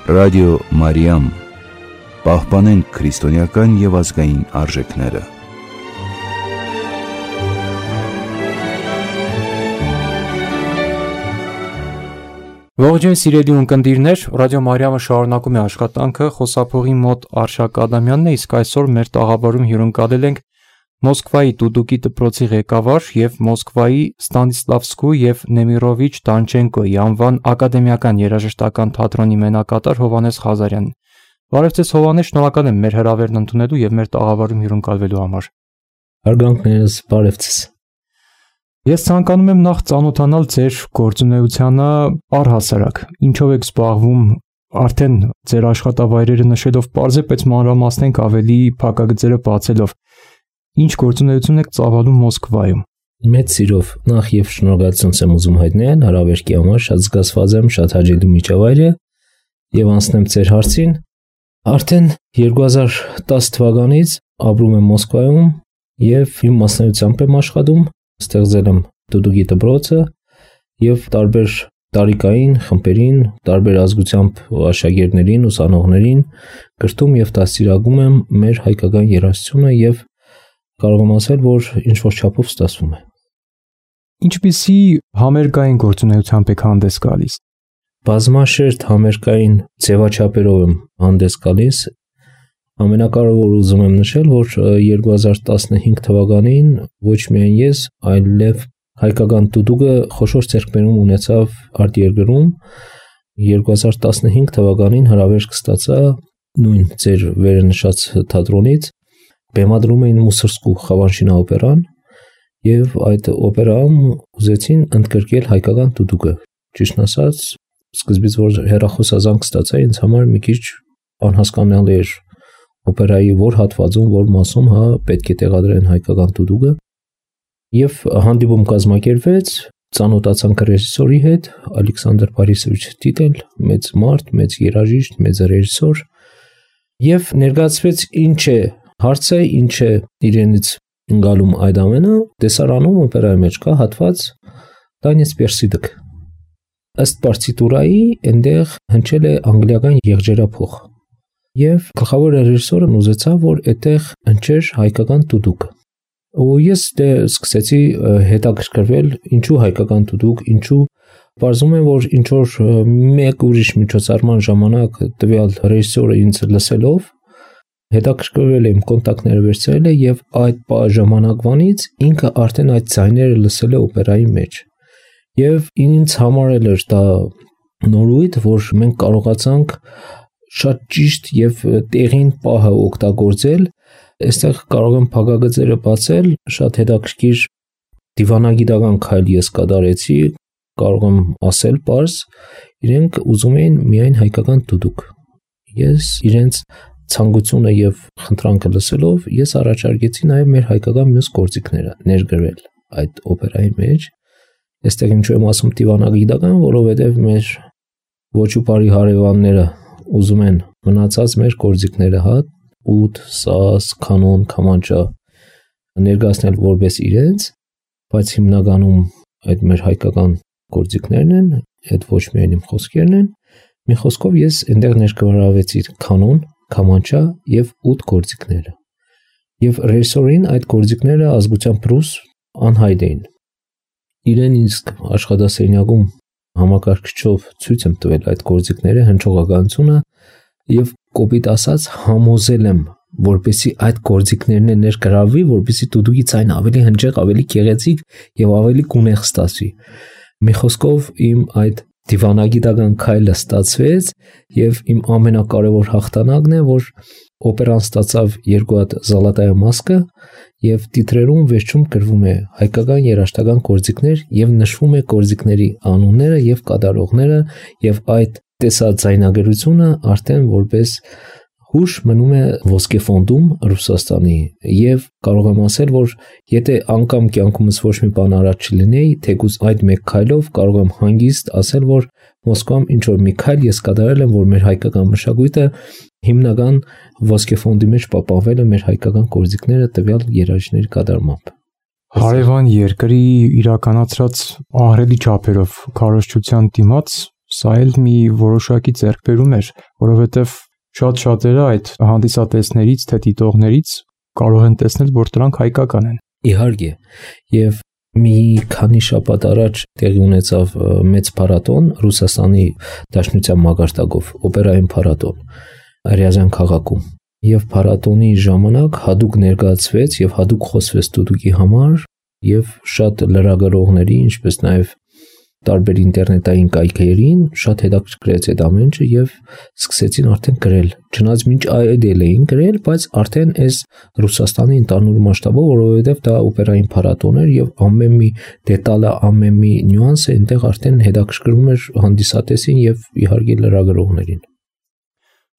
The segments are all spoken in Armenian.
Ռադիո Մարիամ, պահպանենք քրիստոնեական և ազգային արժեքները։ Ողջույն սիրելի ունկնդիրներ, Ռադիո Մարիամը շարունակում է աշխատանքը, խոսափողի մոտ Արշակ Ադամյանն է, իսկ այսօր մեր տաղավարում հյուրընկալել ենք Մոսկվայի Դուդուկի դպրոցի ղեկավար և Մոսկվայի Ստանիսլավսկու և Նեմիրովիչ Դանչենկոյի անվան ակադեմիական երաժշտական թատրոնի մենակատար Հովհաննես Ղազարյանին։ Բարև ձեզ Հովհաննես, շնորհակալ եմ մեր հրավերն ընդունելու և մեր տաղավարում հյուրընկալվելու համար։ Հարգանքներս, բարև ձեզ։ Ես ցանկանում եմ նախ ծանոթանալ ձեր գործունեությանը առհասարակ։ Ինչով եք զբաղվում, արդեն ձեր աշխատավայրերը նշելով պարզապես մանրամասնենք ավելի փակագծերը բացելով։ Ինչ գործունեություն եք ծավալում Մոսկվայում։ Մեծ սիրով նախ եւ շնորհակալություն եմ ուզում հայտնել հրավերքի համար, շատ զգացված եմ, շատ հաճելի միջավայր է եւ անցնեմ ձեր հարցին։ Արդեն 2010 թվականից ապրում եմ Մոսկվայում եւ իմ մասնագիտությամբ եմ աշխատում, ստեղծել եմ Դուդուկի դպրոցը եւ տարբեր տարիքային խմբերին, տարբեր ազգությամբ աշակերտներին, ուսանողներին կրթում եւ դաստիարակում եմ մեր հայկական երաժշտությունը եւ կարող եմ ասել, որ ինչ-որ չափով ստացվում է։ Ինչպիսի համերգային գործունեությամբ եք հանդես գալիս։ Բազմաշերտ համերգային ձևաչափերով եմ հանդես գալիս։ Ամենակարևորը ուզում եմ նշել, որ 2015 թվականին ոչ միայն ես, այլև հայկական դուդուկը խոշոր ձեռքբերում ունեցավ արտերկրում։ 2015 թվականին հրավերք ստացա նույն ձեր վերնշած թատրոնից։ Բեմադրում էին Մուսորսկու Խավանշինա օպերան եւ այդ օպերայում ուզեցին ընդգրկել հայկական դուդուկը։ Ճիշտն ասած, սկզբից որ հեռախոսազանգ ստացա, ինձ համար մի քիչ անհասկանալի էր օպերայի որ հատվածում, որ մասում պետք է տեղադրեն հայկական դուդուկը։ Եվ հանդիպում կազմակերպվեց, ծանոթացանք ռեժիսորի հետ, Ալեքսանդր Բարիսովիչ Տիտել, մեծ մարդ, մեծ երաժիշտ, մեծ ռեժիսոր, եւ ներկայացվեց ինչ է հարցը, ինչ է իրենից ընկալում այդ ամենը, տեսարանում օպերայի մեջ կա հատված Տանյես Պերսիդիկ։ Ըստ պարտիտուրայի այնտեղ հնչել է անգլիական եղջերափող։ Եվ գլխավոր ռեժիսորը ուզեցավ, որ այդտեղ հնչեր հայկական դուդուկ։ Ու ես սկսեցի հետաքրքրվել, ինչու հայկական դուդուկ, ինչու բարձում է, որ ինչ որ մեկ ուրիշ միջոցառման ժամանակ տվյալ ռեժիսորը ինձ լսելով հետաքրքրվել եմ, կոնտակտները վերցրել եւ այդ ժամանակվանից ինքը արդեն այդ ձայները լսել է օպերայի մեջ։ Եվ ինձ համար էր դա նորույթ, որ մենք կարողացանք շատ ճիշտ եւ տեղին պահը օգտագործել։ Այստեղ կարող եմ փակագծերը բացել, շատ հետաքրքիր դիվանագիտական քայլ ես կատարեցի, կարող եմ ասել պարզ, իրենք ուզում էին միայն հայկական դուդուկ։ Ես իրենց ցանկությունը եւ խնդրանքը լսելով ես առաջարկեցի նաեւ մեր հայկական մյուս գործիքները ներգրել այդ օպերայի մեջ։ Այստեղ ինչու եմ ասում դիվանագիտական, որովհետեւ մեր ոչուպարի հարևանները ուզում են մնացած մեր գործիքները ուդ, սաս, կանոն, կամանչա ներկայացնել որպես իրենց, բայց հիմնականում այդ մեր հայկական գործիքներն են, այդ ոչ միայն իմ խոսքերն են։ Մի խոսքով ես այնտեղ ներկայացրեցի կանոն, կամանչա եւ ուդ գործիքները։ Եվ ռեժիսորին այդ գործիքները ազգությամբ ռուս անհայտ էին։ Իրեն իսկ աշխատասենյակում համակարգչով ցույց եմ տվել այդ գործիքները, հնչողականությունը եւ կոպիտ ասած համոզել եմ, որպեսզի այդ գործիքներն ներգրավվի, որպեսզի դուդուկի ցայն ավելի հնչեղ, ավելի գեղեցիկ եւ ավելի գունեղ ստացվի։ Մի խոսքով իմ այդ դիվանագիտական քայլը ստացվեց եւ իմ ամենակարևոր հաղթանակն է, որ օպերան ստացավ 2 հատ Զալատայա մասկը եւ տիտրերում վերջում գրվում է հայկական երաժշտական գործիքներ եւ նշվում է գործիքների անունները եւ կատարողները եւ այդ տեսաձայնագրությունը արդեն որպես հուշ մնում է ոսկե ֆոնդում Ռուսաստանի եւ կարող եմ ասել, որ եթե անգամ կյանքումս ոչ մի բան արած չլինեի, թեկուզ այդ մեկ քայլով կարող եմ հանգիստ ասել, որ Մոսկվայում ինչ որ մի քայլ ես կատարել եմ, որ մեր հայկական մշակույթը հիմնական ոսկե ֆոնդի մեջ պահպանվել է մեր հայկական գործիքները տվյալ երաժիշտների կատարմամբ։ Հարևան երկրի իրականացրած ահռելի չափերով քարոզչության դիմաց Սա էլ մի որոշակի ձեռքբերում էր, որովհետև շատ շատերը այդ հանդիսատեսներից, թե դիտողներից կարող են տեսնել, որ դրանք հայկական են։ Իհարկե, եւ մի քանի շաբաթ առաջ տեղի ունեցավ մեծ փառատոն Ռուսաստանի Դաշնության մագարտակով, օպերային փառատոն Ռիազան քաղաքում։ Եվ փառատոնի ժամանակ հadoop ներկայացվեց եւ հadoop խոսվեց դուդուկի համար եւ շատ լրագրողների, ինչպես նաեւ տարբեր ինտերնետային կայքերին շատ հետաքրքրեց այդ ամենը եւ սկսեցին արդեն գրել։ Չնայած մինչ այդ էին գրել, բայց արդեն այս Ռուսաստանի ընդհանուր մասշտաբով, որովհետեւ դա օպերային փառատոն էր եւ ամեն մի դետալը, ամեն մի նյուանսը այնտեղ արդեն հետաքրքրում էր հանդիսատեսին եւ իհարկե լրագրողներին։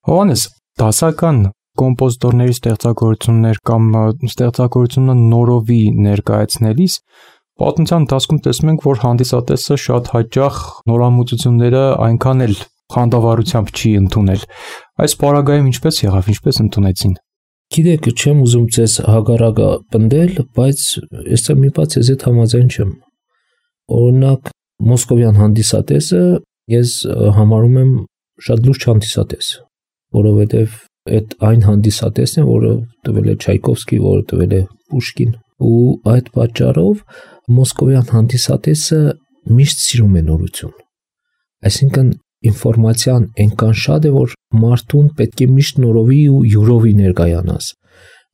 Հովանես, դասական կոմպոզիտորների ստեղծագործություններ կամ ստեղծագործությունը նորովի ներկայացնելիս պատմության ընթացքում տեսնում ենք, որ հանդիսատեսը շատ հաճախ նորամուծությունները այնքան էլ խանդավառությամբ չի ընդունել։ Այս պարագայում ինչպես եղավ, ինչպես ընդունեցին։ Գիտեք, չեմ ուզում ձեզ հագարակը պնդել, բայց այստեղ մի բաց ես այդ համաձայն չեմ։ Օրինակ, մոսկովյան հանդիսատեսը ես համարում եմ շատ լուրջ հանդիսատես, որովհետև այդ այն հանդիսատեսն է, որը տվել է Չայկովսկի, որը տվել է Պուշկին, ու այդ պատճառով մոսկովյան հանդիսատեսը միշտ սիրում է նորություն։ Այսինքն ինֆորմացիան այնքան շատ է, որ մարդուն պետք է միշտ նորովի ու յուրովի ներկայանաս։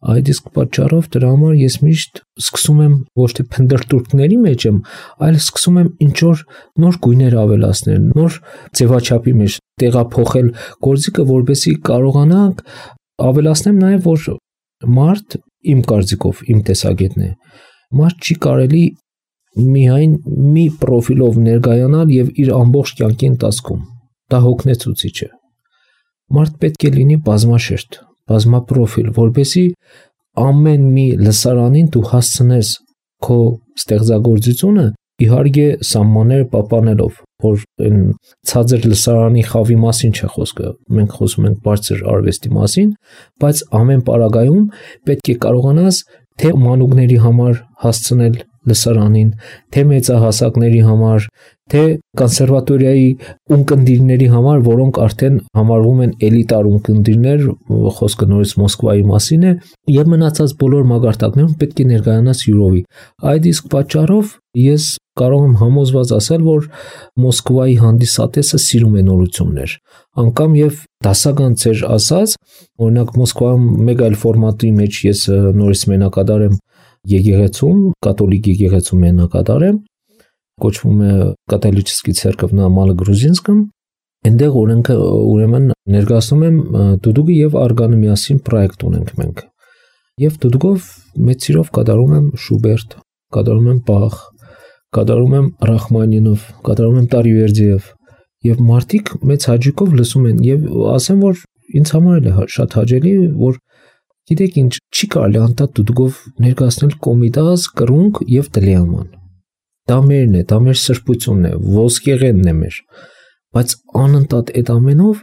Այդ իսկ պատճառով դրա համար ես միշտ սկսում եմ ոչ թե փնդրտուրքների մեջ եմ, այլ սկսում եմ ինչ որ նոր գույներ ավելացնել, նոր ձևաչափի մեջ տեղափոխել գործիքը, որպեսզի կարողանանք ավելացնեմ նաև, որ մարդ իմ կարծիքով, իմ տեսակետն է, մարդ չի կարելի միայն մի պրոֆիլով ներկայանալ եւ իր ամբողջ կյանքի ընթացքում։ Դա հոգնեցուցիչ է։ Մարդ պետք է լինի բազմաշերտ, բազմապրոֆիլ, որպեսզի ամեն մի լսարանին դու հասցնես քո ստեղծագործությունը, իհարկե սահմանները պահպանելով, որ այն ցածր լսարանի խավի մասին չէ խոսքը, մենք խոսում ենք բարձր արվեստի մասին, բայց ամեն պարագայում պետք է կարողանաս թե մանուկների համար հասցնել լսարանին, թե մեծահասակների համար, թե կոնսերվատորիայի ունկնդիրների համար, որոնք արդեն համարվում են էլիտար ունկնդիրներ, խոսքը նորից Մոսկվայի մասին է, եւ մնացած բոլոր մագարտակներում պետք է ներկայանաս յուրովի։ Այդ իսկ պատճառով ես կարող եմ համոզված ասել, որ Մոսկվայի հանդիսատեսը սիրում է նորություններ։ Անկամ եւ դասական ծեր ասած, օրինակ Մոսկվայում մեկ այլ ֆորմատի մեջ ես նորից մենակատար եմ եկեղեցում, կաթոլիկ եկեղեցում մենակատար եմ, կոչվում է Կաթոլический церковь на Малогрузинском, այնտեղ ուրեմն ներկայացնում եմ դուդուկի եւ արգանը միասին պրոյեկտ ունենք մենք։ Եվ դուդուկով մեծ սիրով կատարում եմ Շուբերտ, կատարում եմ Բախ, կատարում եմ Ռախմանինով, կատարում եմ Տարիվերդիև, եւ մարդիկ մեծ հաճույքով լսում են եւ ասեմ, որ ինձ համար էլ է շատ հաճելի, որ գիտեք ինչ, չի կարելի անտառ դուդուկով ներկայացնել կոմիտաս, կրունկ եւ դլիաման։ Դա մերն է, դա մեր սրբությունն է, ոսկեղենն է մեր, բայց անընդհատ այդ ամենով,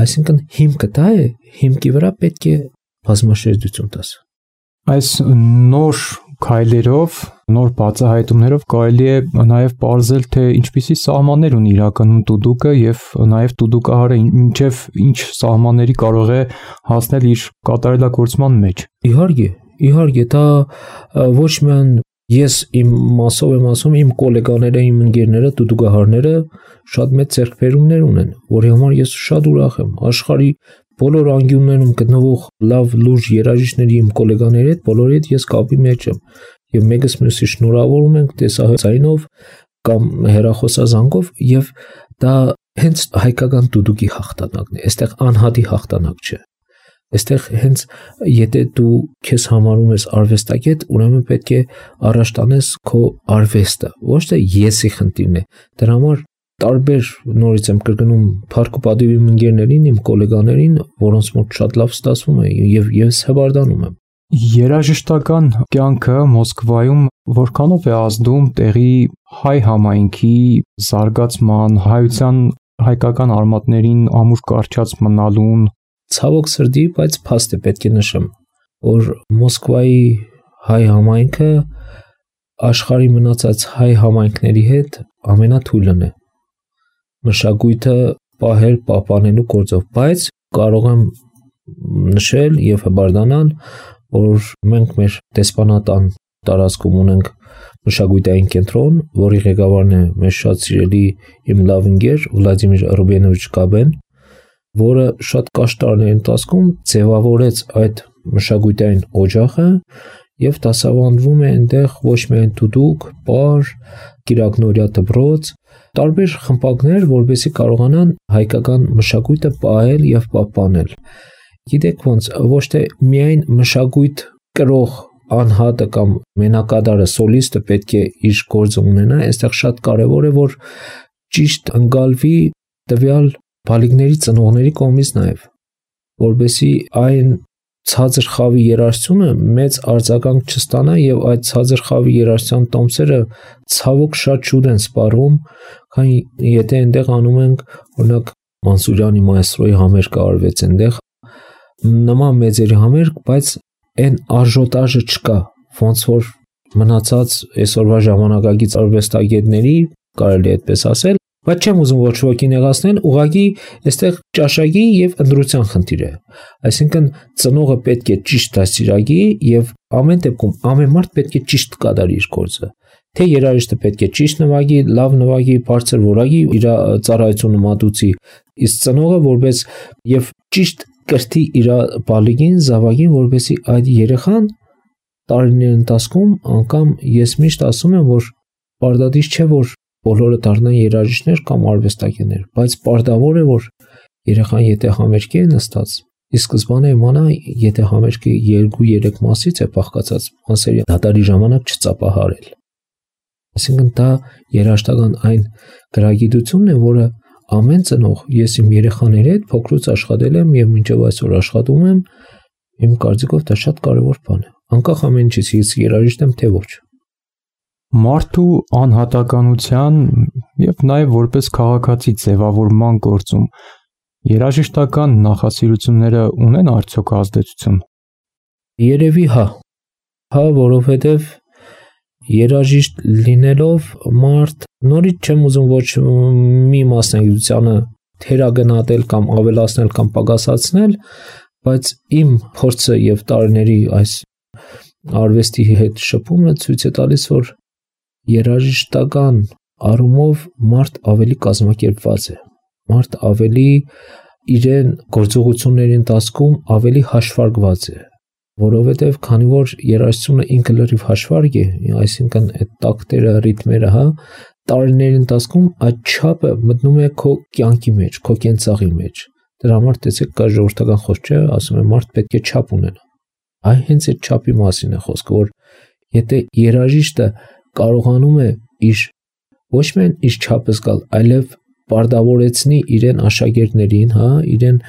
այսինքն հիմքը դա է, հիմքի վրա պետք է բազմաշերտություն տաս։ Այս նոր քայլերով, նոր բացահայտումներով կարելի է նաև ողջել, թե ինչպիսի սահմաններ ունի իրականում դուդուկը եւ նաև դուդուկահարը ինչեւ ինչ սահմանների կարող է հասնել իր կատարելագործման մեջ։ Իհարկե, դա ոչ միայն ես իմ մասով եմ ասում, իմ գոլեգաները, իմ ընկերները, դուդուկահարները շատ մեծ ձեռքբերումներ ունեն, որի համար ես շատ ուրախ եմ։ Աշխարհի բոլոր անկյուններում գտնվող լավ լուրջ երաժիշտների իմ գոլեգաների հետ բոլորի հետ ես կապի մեջ եմ եւ մեկս մյուսի շնորհավորում ենք տեսահայտայինով կամ հեռախոսազանգով եւ դա հենց հայկական դուդուկի հաղթանակն է, այստեղ անհատի հաղթանակ չէ։ Այստեղ հենց եթե դու քեզ համարում ես արվեստագետ, ուրեմն պետք է առաջ տանես քո արվեստը, ոչ թե եսի խնդիրն է։ Դրա համար տարբեր նորից եմ կրկնում փառք ու պատիվ իմ ընկերներին, իմ գոլեգաներին, որոնց մոտ շատ լավ ստացվում է եւ ես հվարդանում եմ։ Երաժշտական կյանքը Մոսկվայում որքանով է ազդում տեղի հայ համայնքի զարգացման, հայության հայկական արմատներին ամուր կարճած մնալուն։ Ցավոք սրտի, բայց փաստ է պետք է նշեմ, որ Մոսկվայի հայ համայնքը աշխարհի մնացած հայ համայնքների հետ ամենաթույլն է։ մշակույթը պահել, պահպանելու գործով, բայց կարող եմ նշել եւ հբարդանալ, որ մենք մեր դեսպանատան տարածքում ունենք մշակութային կենտրոն, որի ղեկավարն է մեր շատ սիրելի իմ լավ ընկեր Վլադիմիր Ռուբենովիչ Կաբեն, որը շատ կարճ տարիների ընթացքում ձևավորեց այդ մշակութային օջախը եւ դասավանդվում է այնտեղ ոչ միայն դուդուկ, պար, կիրակնորյա դպրոց, տարբեր խմբակներ, որովհետեւ կարողանան հայկական մշակույթը պահել եւ պահպանել։ Գիտեք ոնց, ոչ թե միայն մշակույթ կրող անհատը կամ մենակատարը, սոլիստը պետք է իր գործը ունենա, այստեղ շատ կարևոր է, որ ճիշտ ընկալվի տվյալ բալիկների ծնողների կողմից նաև, որովհետեւ այն ցածր խավի երաժշտությունը մեծ արձագանք չստանա եւ այդ ցածր խավի երաժշտության տոմսերը ցավոք շատ շուտ են սպառում, քանի եթե այնտեղ անում ենք, օրինակ Մանսուրյանի մայստրոյի համերգը արվեց այնտեղ, նման մեծերի համերգ, բայց այն արժոտաժը չկա, ոնց որ մնացած այսօրվա ժամանակակից արվեստագետների, կարելի է այդպես ասել, բայց չեմ ուզում ոչ ոքի նեղացնել, ուղղակի այստեղ ճաշակի եւ ընտրության խնդիր է։ Այսինքն ծնողը պետք է ճիշտ դաստիարակի եւ ամեն դեպքում ամեն մարդ պետք է ճիշտ կատարի իր գործը։ Թե երաժիշտը պետք է ճիշտ նվագի, լավ նվագի, բարձր որակի իր ծառայությունը մատուցի, իսկ ծնողը որպես եւ ճիշտ կրթի իր բալիկին, զավակին, որպեսզի այդ երեխան տարիների ընթացքում անգամ ես միշտ ասում եմ, որ պարտադիր չէ, որ բոլորը դառնան երաժիշտներ կամ արվեստագետներ, բայց պարտավոր է, որ երեխան եթե համերգի է նստած, ի սկզբանե իմանա, եթե համերգը 2-3 մասից է բաղկացած, մասերի դատարի ժամանակ չծապահարել։ Այսինքն դա երաժշտական այն գրագիտությունն է, որը ամեն ծնող, ես իմ երեխաների հետ փոքրուց աշխատել եմ եւ մինչեւ այսօր աշխատում եմ, իմ կարծիքով դա շատ կարեւոր բան է։ Անկախ ամեն ինչից, ես երաժիշտ եմ թե ոչ։ Մարդու անհատականության եւ նաեւ որպես քաղաքացի ձևավորման գործում երաժշտական նախասիրությունները ունեն արդյոք ազդեցություն։ Երևի հա, որովհետեւ երաժիշտ լինելով մարդ նորից չեմ ուզում ոչ մի մասնագիտությանը թերագնահատել կամ ավելացնել կամ պակասացնել, բայց իմ փորձը եւ տարիների այս արվեստի հետ շփումը ցույց է տալիս, որ երաժշտական առումով մարդ ավելի կազմակերպված է, մարդ ավելի իրեն գործողությունների ընթացքում ավելի հաշվարկված է, որովհետև քանի որ երաժշտությունը ինքը լրիվ հաշվարկ է, այսինքն այդ տակտերը, ռիթմերը, տարիների ընթացքում այդ չափը մտնում է քո կյանքի մեջ, քո կենցաղի մեջ։ Դրա համար տեսեք կա ժողովրդական խոսք չէ, ասում է մարդ պետք է չափ ունենա։ Այ հենց այդ չափի մասին է խոսքը, որ եթե երաժիշտը կարողանում է իր ոչ միայն իր չափը զգալ, այլև պարտավորեցնի իրեն աշակերտներին, իրեն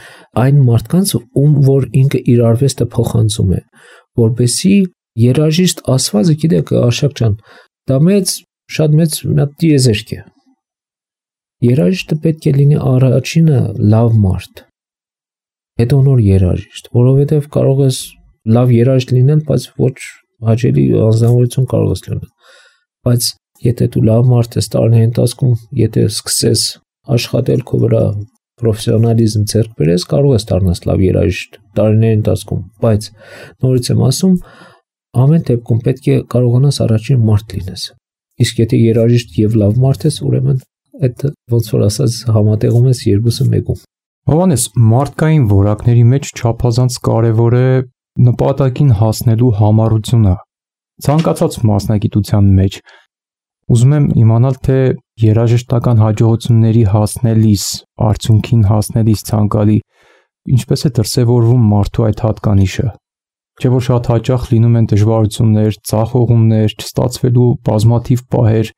այն մարդկանց, ում որ ինքը իր արվեստը փոխանցում է, որպեսզի երաժիշտ ասվածը, գիտեք, Արշակ ջան, դա շատ մեծ տիեզերք է։ Երաժիշտը պետք է լինի առաջինը լավ մարդ, հետո նոր երաժիշտ, որովհետև կարող ես լավ երաժիշտ լինել, բայց ոչ հաճելի անձնավորություն կարող ես լինել, բայց եթե դու լավ մարդ ես տարիների ընթացքում, եթե սկսես աշխատել քո վրա պրոֆեսիոնալիզմ ձեռք բերես, կարող ես դառնալ լավ երաժիշտ տարիների ընթացքում, բայց նորից եմ ասում, ամեն դեպքում պետք է կարողանաս առաջին մարդ լինես։ Իսկ եթե երաժիշտ եւ լավ մարդ ես, ուրեմն այդ ոնց որ ասած համատեղում ես երկուսը մեկում։ Հովանես, մարդկային որակների մեջ չափազանց կարևոր է նպատակին հասնելու համառությունը։ Ցանկացած մասնագիտության մեջ ուզում եմ իմանալ, թե երաժշտական հաջողությունների հասնելիս, արդյունքին հասնելիս ցանկալի ինչպես է դրսևորվում մարդու այդ հատկանիշը։ Չէ՞ որ շատ հաճախ լինում են դժվարություններ, ցախողումներ, չստացվելու բազմաթիվ պահեր,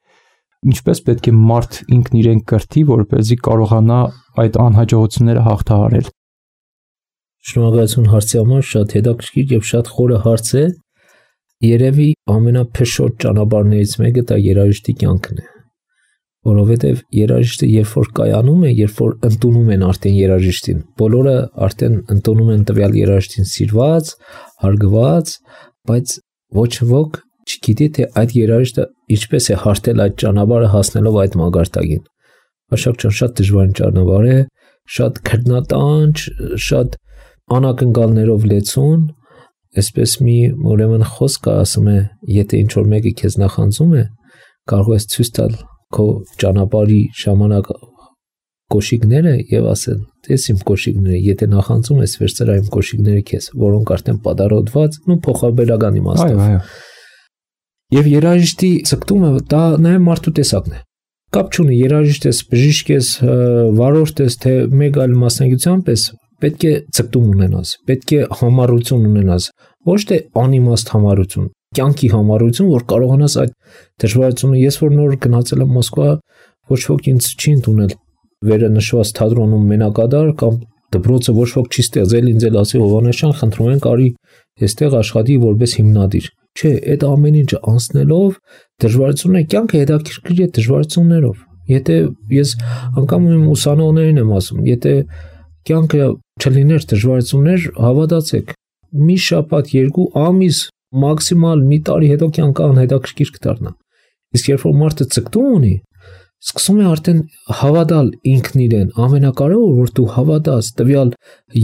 ինչպես պետք է մարդ ինքն իրեն կրթի, որպեսզի կարողանա այդ անհաջողությունները հաղթահարել։ Շնորհակալություն հարցի համար, շատ հետաքրքիր եւ շատ խորը հարց է։ Երևի ամենափշոտ ճանապարհներից մեկը դա երաժշտի կյանքն է, որովհետև երաժիշտը երբ որ կայանում է, երբ որ ընդունում են արդեն երաժիշտին, բոլորը արդեն ընդունում են տվյալ երաժիշտին սիրված, հարգված, բայց ոչ ոք չգիտի թե այդ երաժիշտը ինչպես է հարթել այդ ճանապարհը հասնելով այդ մագարտակին, Աշակ ջան, շատ դժվարին ճանապարհ է, շատ քրտնատանջ, շատ անակնկալներով լեցուն, այսպես մի ուրեմն խոսք կա, ասում է, եթե ինչ որ մեկը քեզ նախանձում է, կարող ես ցույց տալ քո ճանապարհի ժամանակ կոշիկները եւ ասել, տես իմ կոշիկները, եթե նախանձում ես, վերցրա իմ կոշիկները քեզ, որոնք արդեն պատարոտված ու փոխաբերական իմաստով։ Այո։ Եվ երաժիշտի ցկտումը դա նաեւ մարդու տեսակն է։ Կապ չունի երաժիշտ ես, բժիշկ ես, վարորդ ես, թե մեկ այլ մասնագիտությամբ ես, պետք է ցկտում ունենաս, պետք է համառություն ունենաս, ոչ թե անիմաստ համառություն, կյանքի համառություն, որ կարողանաս այդ դժվարությունը։ Ես որ նոր գնացել եմ Մոսկվա, ոչ ոք ինձ չի ընդունել վերը նշված թատրոնում մենակադար կամ դպրոցը ոչ ոք չի ստեղծել ինձ էլ ասի Հովհաննեսյան, խնդրում ենք արի այստեղ աշխատի որպես հիմնադիր։ Չէ, այդ ամեն ինչը անցնելով դժվարությունն է, կյանքը հետաքրքիր է դժվարություններով։ Եթե ես անգամ իմ ուսանողներին եմ ասում, եթե կյանքը չլիներ դժվարություններ, հավատացեք, մի շաբաթ, 2 ամիս, մաքսիմալ մի տարի հետո կյանքը անհետաքրքիր կդառնա։ Իսկ երբ որ մարդը ցկտում ունի, սկսում է արդեն հավատալ ինքն իրեն, ամենակարևորը որ դու հավատաս, տվյալ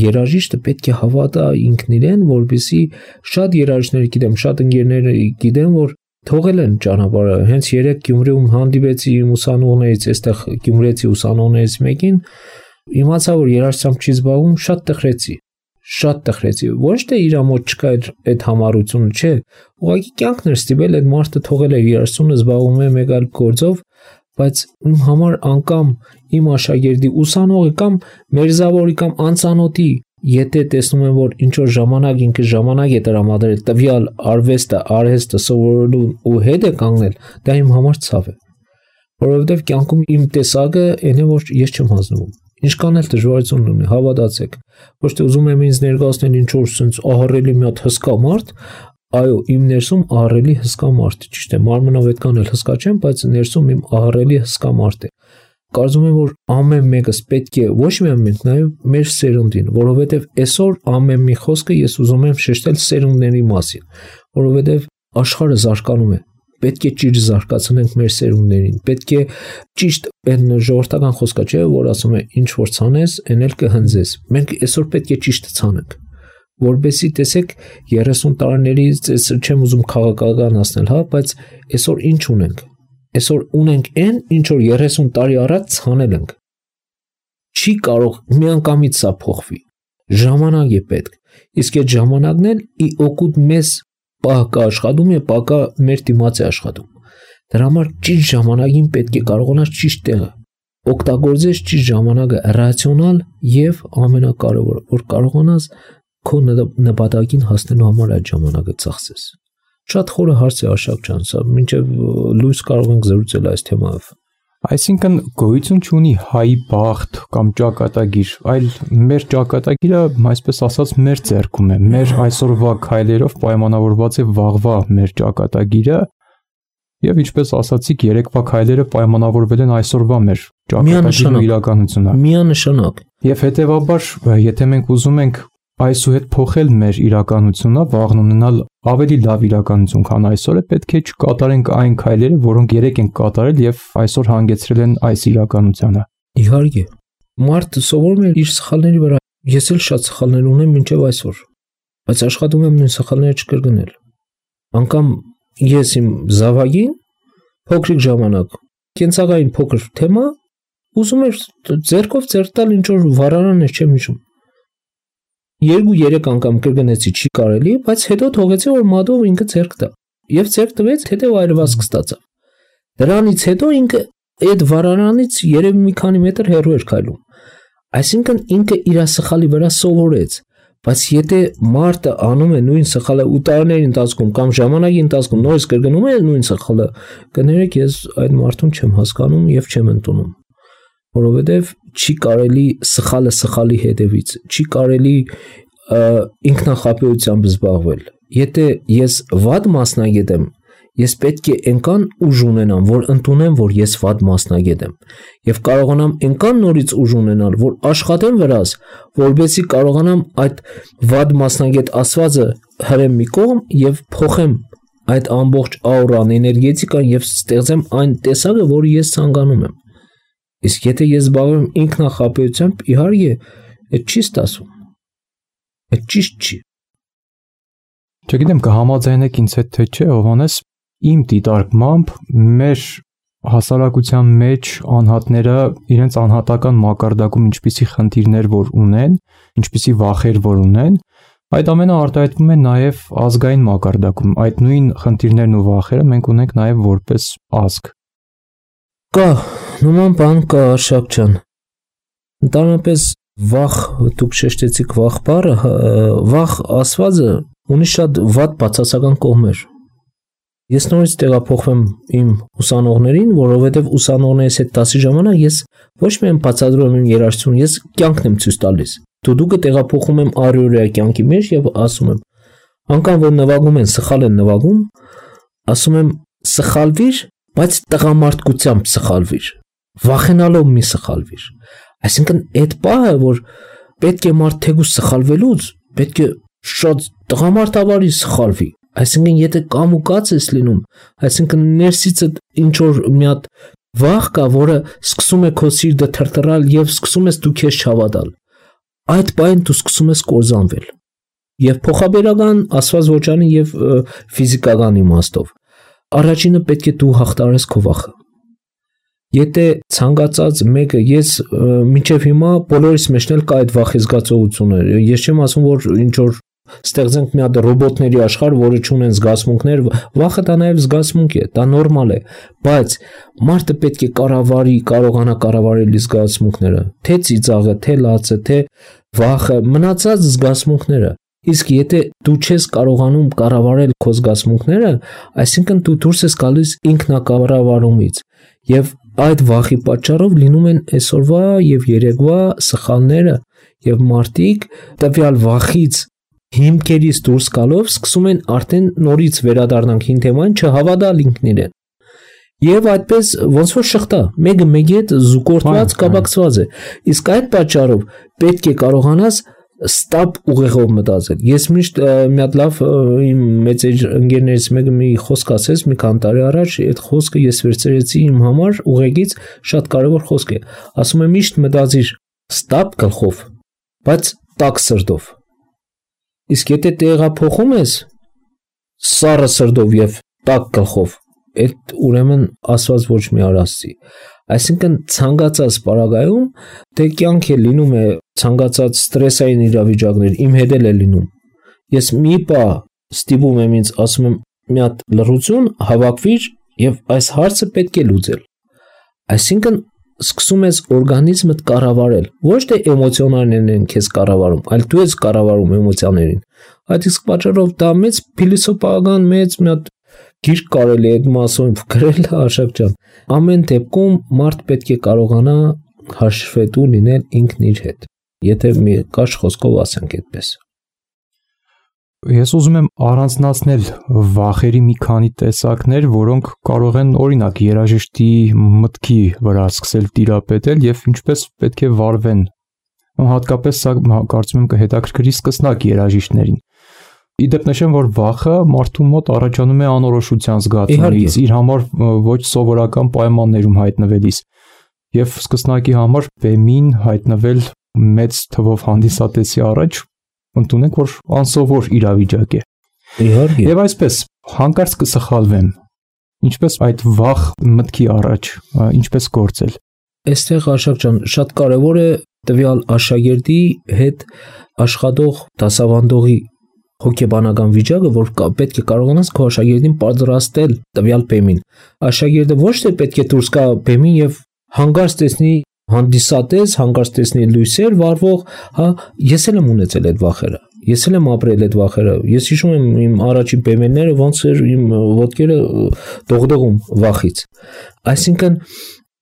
երաժիշտը պետք է հավատա ինքն իրեն, որպեսզի շատ երաժիշտներ գիտեմ, շատ ընկերներ գիտեմ, որ թողել են ճանապարհը։ Հենց երեք Գյումրիում հանդիպեցի իմ ուսանողներից, այստեղ գյումրեցի ուսանողներից մեկին, իմացա որ երաժշտությամբ չի զբաղվում, շատ տխրեցի, ոչ թե իր մոտ չկա այդ համառությունը, չէ, ուղղակի կյանքն էր ստիպել այդ մարդը թողել է երաժշտությունը, զբաղվում է մեկ այլ գործով, բայց իմ համար անգամ իմ աշակերտի ուսանողի կամ մերձավորի կամ անծանոթի եթե տեսնում եմ որ ինչ որ ժամանակ ինքը ժամանակ է տրամադրել տվյալ արհեստը սովորելու ու հետ է կանգնել, դա իմ համար ցավ է, որովհետև կյանքում իմ տեսակը այն է որ ես չեմ հանձնվում, ինչքան էլ դժվարություն ունի, հավատացեք, ոչ թե ուզում եմ ինձ ներկայացնել ինչ որ sense ահռելի մի հատ հսկա մարդ, այո, իմ ներսում ահռելի հսկա մարդ է, ճիշտ է, մարմնով այդքան էլ հսկա չեմ, բայց ներսում իմ ահռելի հսկա մարդ է։ Կարծում եմ, որ ամեն մեկս պետք է ոչ միայն մենք, նաև մեր սերունդին, որովհետև այսօր ամեն մի խոսքը ես ուզում եմ շեշտել սերունդների մասին, որովհետև աշխարհը զարգանում է, պետք է ճիշտ զարգացնենք մեր սերունդներին, պետք է ճիշտ այն ժողովրդական խոսքը չէ, որ ասում է ինչ որ ցանես, այն էլ կհնձես։ Մենք այսօր պետք է ճիշտը ցանենք, որբեսի տեսեք 30 տարիներից չեմ ուզում քաղաքականացնել, հա, բայց այսօր ինչ ունենք։ Այսօր ունենք այն, ինչ որ 30 տարի առաջ ցանել ենք։ Չի կարող միանգամից սա փոխվի։ Ժամանակ է պետք։ Իսկ այդ ժամանակն էլ ի օգուտ մեզ պահ կա աշխատում է, պահ կա մեր դիմաց է աշխատում։ Դրա համար ճիշտ ժամանակին պետք է կարողանաս ճիշտ տեղը օգտագործես ճիշտ ժամանակը ռացիոնալ եւ ամենակարևորը, որ կարողանաս քո նպատակին հասնելու համար այդ ժամանակը ծախսես։ Շատ խորը հարց է Աշակ ջան, սա մինչև լույս կարող ենք զրուցել այս թեմայով։ Այսինքն գոյություն չունի հայի բախտ կամ ճակատագիր, այլ մեր ճակատագիրը, այսպես ասած, մեր ձեռքում է, մեր այսօրվա քայլերով պայմանավորված է վաղվա մեր ճակատագիրը, եւ ինչպես ասացիք, երեկվա քայլերը պայմանավորվել են այսօրվա մեր ճակատագիրը իրականությունը։ Միանշանակ։ Եվ հետեւաբար, եթե մենք ուզում ենք այսուհետ փոխել մեր իրականությունը, վաղն ունենալ ավելի լավ իրականություն, քան այսօրը, պետք է չկատարենք այն քայլերը, որոնք երեք ենք կատարել եւ այսօր հանգեցրել են այս իրականությանը։ Իհարկե, մարդը սովորում է իր սխալների վրա։ Ես էլ շատ սխալներ ունեմ մինչև այսօր, բայց աշխատում եմ նույն սխալները չկրկնել։ Անկամ ես իմ զավակին փոքրիկ ժամանակ կենցաղային փոքր թեմա ուզում էր ձեռքով ձեռք տալ ինչ որ վառարան էր չեմ հիշում։ 2-3 անգամ կրկնեցի չի կարելի, բայց հետո թողեցի որ մատով ինքը ձեռք տա։ Եվ ձեռք տվեց, հետո այրվածք ստացավ։ Դրանից հետո ինքը այդ վառարանից երևի մի քանի մետր հեռու էր քայլում։ Այսինքն ինքը իր սխալի վրա սովորեց, բայց եթե մարդը անում է նույն սխալը ու տարիների ընթացքում կամ ժամանակի ընթացքում նորից կրկնում է նույն սխալը, կներեք ես այդ մարդուն չեմ հասկանում եւ չեմ ընդունում։ Որովհետև չի կարելի սխալը սխալի հետևից, չի կարելի ինքնախապեյությամբ զբաղվել։ Եթե ես վատ մասնագետ եմ, ես պետք է այնքան ուժ ունենամ, որ ընդունեմ, որ ես վատ մասնագետ եմ, եւ կարողանամ այնքան նորից ուժ ունենալ, որ աշխատեմ վրաս, որովհետեւ կարողանամ այդ վատ մասնագետ ասվածը հրեմ մի կողմ եւ փոխեմ այդ ամբողջ աուրան, էներգետիկան եւ ստեղծեմ այն տեսակը, որը ես ցանկանում եմ։ Իսկ եթե ես զբաղվում ինքնախապեյությամբ, իհարկե, այդ չի ստացվում։ Այդ ճիշտ չի։ Չգիտեմ կհամաձայնեք ինձ հետ թե չէ, Հովհաննես, իմ դիտարկմամբ մեր հասարակության մեջ անհատները իրենց անհատական մակարդակում ինչպիսի խնդիրներ որ ունեն, ինչպիսի վախեր որ ունեն, այդ ամենը արտահայտվում է նաև ազգային մակարդակում։ Այդ նույն խնդիրներն ու վախերը մենք ունենք նաև որպես ազգ։ Կա, նման բան կա, Արշակ ջան։ Ընդհանրապես վախ, դուք շեշտեցիք վախ բառը, վախ ասվածը ունի շատ վատ բացասական կողմեր։ Ես նորից տեղափոխվեմ իմ ուսանողներին, որովհետև ուսանողներիս հետ դասի ժամանակ ես ոչ միայն բացատրում եմ իմ երաժշտությունը, ես կյանքն եմ ցույց տալիս։ Դուդուկը տեղափոխում եմ առօրյա կյանքի մեջ եւ ասում եմ, անկամ որ նվագում են, սխալ են նվագում, ասում եմ սխալվիր, բայց տղամարդկությամբ սխալվիր, վախենալով մի սխալվիր։ Այսինքն այդ պահը, որ պետք է մարդ թեկուզ սխալվելուց, պետք է շատ տղամարդավարի սխալվի։ Այսինքն եթե կամ ու կաց ես լինում, այսինքն ներսից ինչ որ մի հատ վախ կա, որը սկսում է քո սիրտը թրթռալ եւ սկսում ես դու քեզ չհավատալ։ Այդ բանը դու սկսում ես կորզանվել։ Եվ փոխաբերական ասված ոչանի եւ ֆիզիկական իմաստով։ Առաջինը պետք է դու հաղթարես քո վախը։ Եթե ցանկացած մեկը ես մինչև հիմա բոլորիս մեջն էլ կա այդ վախի զգացողությունը։ Ես չեմ ասում որ ինչ որ ստեղծենք մի հատ ռոբոտների աշխարհ, որը չունեն զգացմունքներ, վախը դա նաև զգացմունք է, դա նորմալ է, բայց մարդը պետք է կարողանա կառավարել իր զգացմունքները, թե ծիծաղը, թե լացը, թե վախը, մնացած զգացմունքները։ Իսկ եթե դու չես կարողանում կառավարել քո զգացմունքները, այսինքն դու դուրս ես գալիս ինքնակառավարումից, եւ այդ վախի պատճառով լինում են այսօրվա եւ երեկվա սխալները, եւ մարդիկ տվյալ վախից հիմքերից դուրս գալով սկսում են արդեն նորից վերադառնանք հին թեմային չհավատալ ինքն իրեն։ Եվ այդպես ոնց որ շղթա, մեկը մեկի հետ զուգորդված կապակցված է։ Իսկ այդ պատճառով պետք է կարողանաս ստապ ուղեղով մտածել։ Ես միշտ մի հատ լավ իմ մեծեր ընկերներից մեկը մի խոսք ասեց մի քանի տարի առաջ, այդ խոսքը ես վերցրեցի իմ համար ուղեղից, շատ կարևոր խոսք է։ Ասում է միշտ մտածիր ստապ գլխով, բայց տաք սրտով։ Իսկ եթե տեղափոխում ես սառը սրտով եւ տաք գլխով, այդ ուրեմն ասված ոչ մի արածի։ Այսինքն ցանկացած պարագայում դե կյանք է լինում է ցանկացած ստրեսային իրավիճակներ, իմ հետ էլ է լինում։ Ես մի պա ստիպում եմ ինձ, ասում եմ մի հատ լռություն, հավաքվիր եւ այս հարցը պետք է լուծել։ Այսինքն սկսում ես օրգանիզմդ կառավարել, ոչ թե էմոցիաներն են քեզ կառավարում, այլ դու ես կառավարում էմոցիաներին։ Այդ իսկ պատճառով դա մեծ փիլիսոփայական մեծ մի հատ գիրք կարելի է այդ մասով գրել, Արշակ ջան։ Ամեն դեպքում մարդ պետք է կարողանա հաշվետու լինել ինքն իր հետ, եթե մի կաշ խոսքով ասենք այդպես։ Ես ուզում եմ առանձնացնել վախերի մի քանի տեսակներ, որոնք կարող են օրինակ երաժշտի մտքի վրա սկսել տիրապետել եւ ինչպես պետք է վարվեն։ Հատկապես սա կարծում եմ կհետաքրքրի սկսնակ երաժիշտներին։ Իդեպ նշեմ, որ վախը մարդու մոտ առաջանում է անորոշության զգացումից, իր համար ոչ սովորական պայմաններում հայտնվելիս եւ սկսնակի համար բեմին հայտնվել մեծ թվով հանդիսատեսի առաջ ընդունենք, որ անսովոր իրավիճակ է։ Իհարկե։ Եվ այսպես հանկարծ կսխալվեմ։ Ինչպես այդ վախ մտքի առաջ, ինչպես գործել։ Այստեղ Արշակ ջան, շատ կարևոր է տվյալ աշակերտի հետ աշխատող դասավանդողի հոգեբանական վիճակը, որ պետք է կարողանաս քո աշակերտին պատրաստել տվյալ բեմին։ Աշակերտը ոչ թե պետք է դուրս գա բեմին եւ հանկարծ տեսնի հանդիսատես, հանկարծ տեսնի լույսեր վառվող, հա, ես էլ եմ ունեցել այդ վախերը։ Ես էլ եմ ապրել այդ վախերը։ Ես հիշում եմ իմ առաջին բեմերները ոնց էր իմ ոտքերը դողդողում վախից։ Այսինքն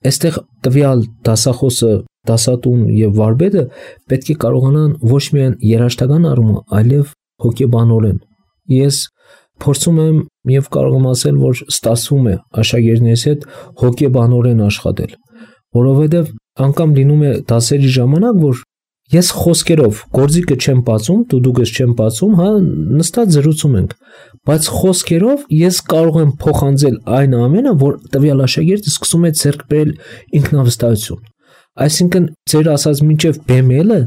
այստեղ տվյալ դասախոսը, դասատուն եւ վարպետը պետք է կարողանան ոչ միայն երաժշտական առումով, այլև հոգեբանորեն։ Ես փորձում եմ եւ կարող եմ ասել, որ ստացվում է աշակերտներիս հետ հոգեբանորեն աշխատել, որովհետեւ անգամ լինում է դասերի ժամանակ, որ ես խոսքերով գործիքը չեմ բացում, դուդուկս չեմ բացում, հա, նստած զրուցում ենք, բայց խոսքերով ես կարող եմ փոխանցել այն ամենը, որ տվյալ աշակերտը սկսում է ձեռք բերել ինքնավստահություն։ Այսինքն ձեր ասած մինչև բեմելը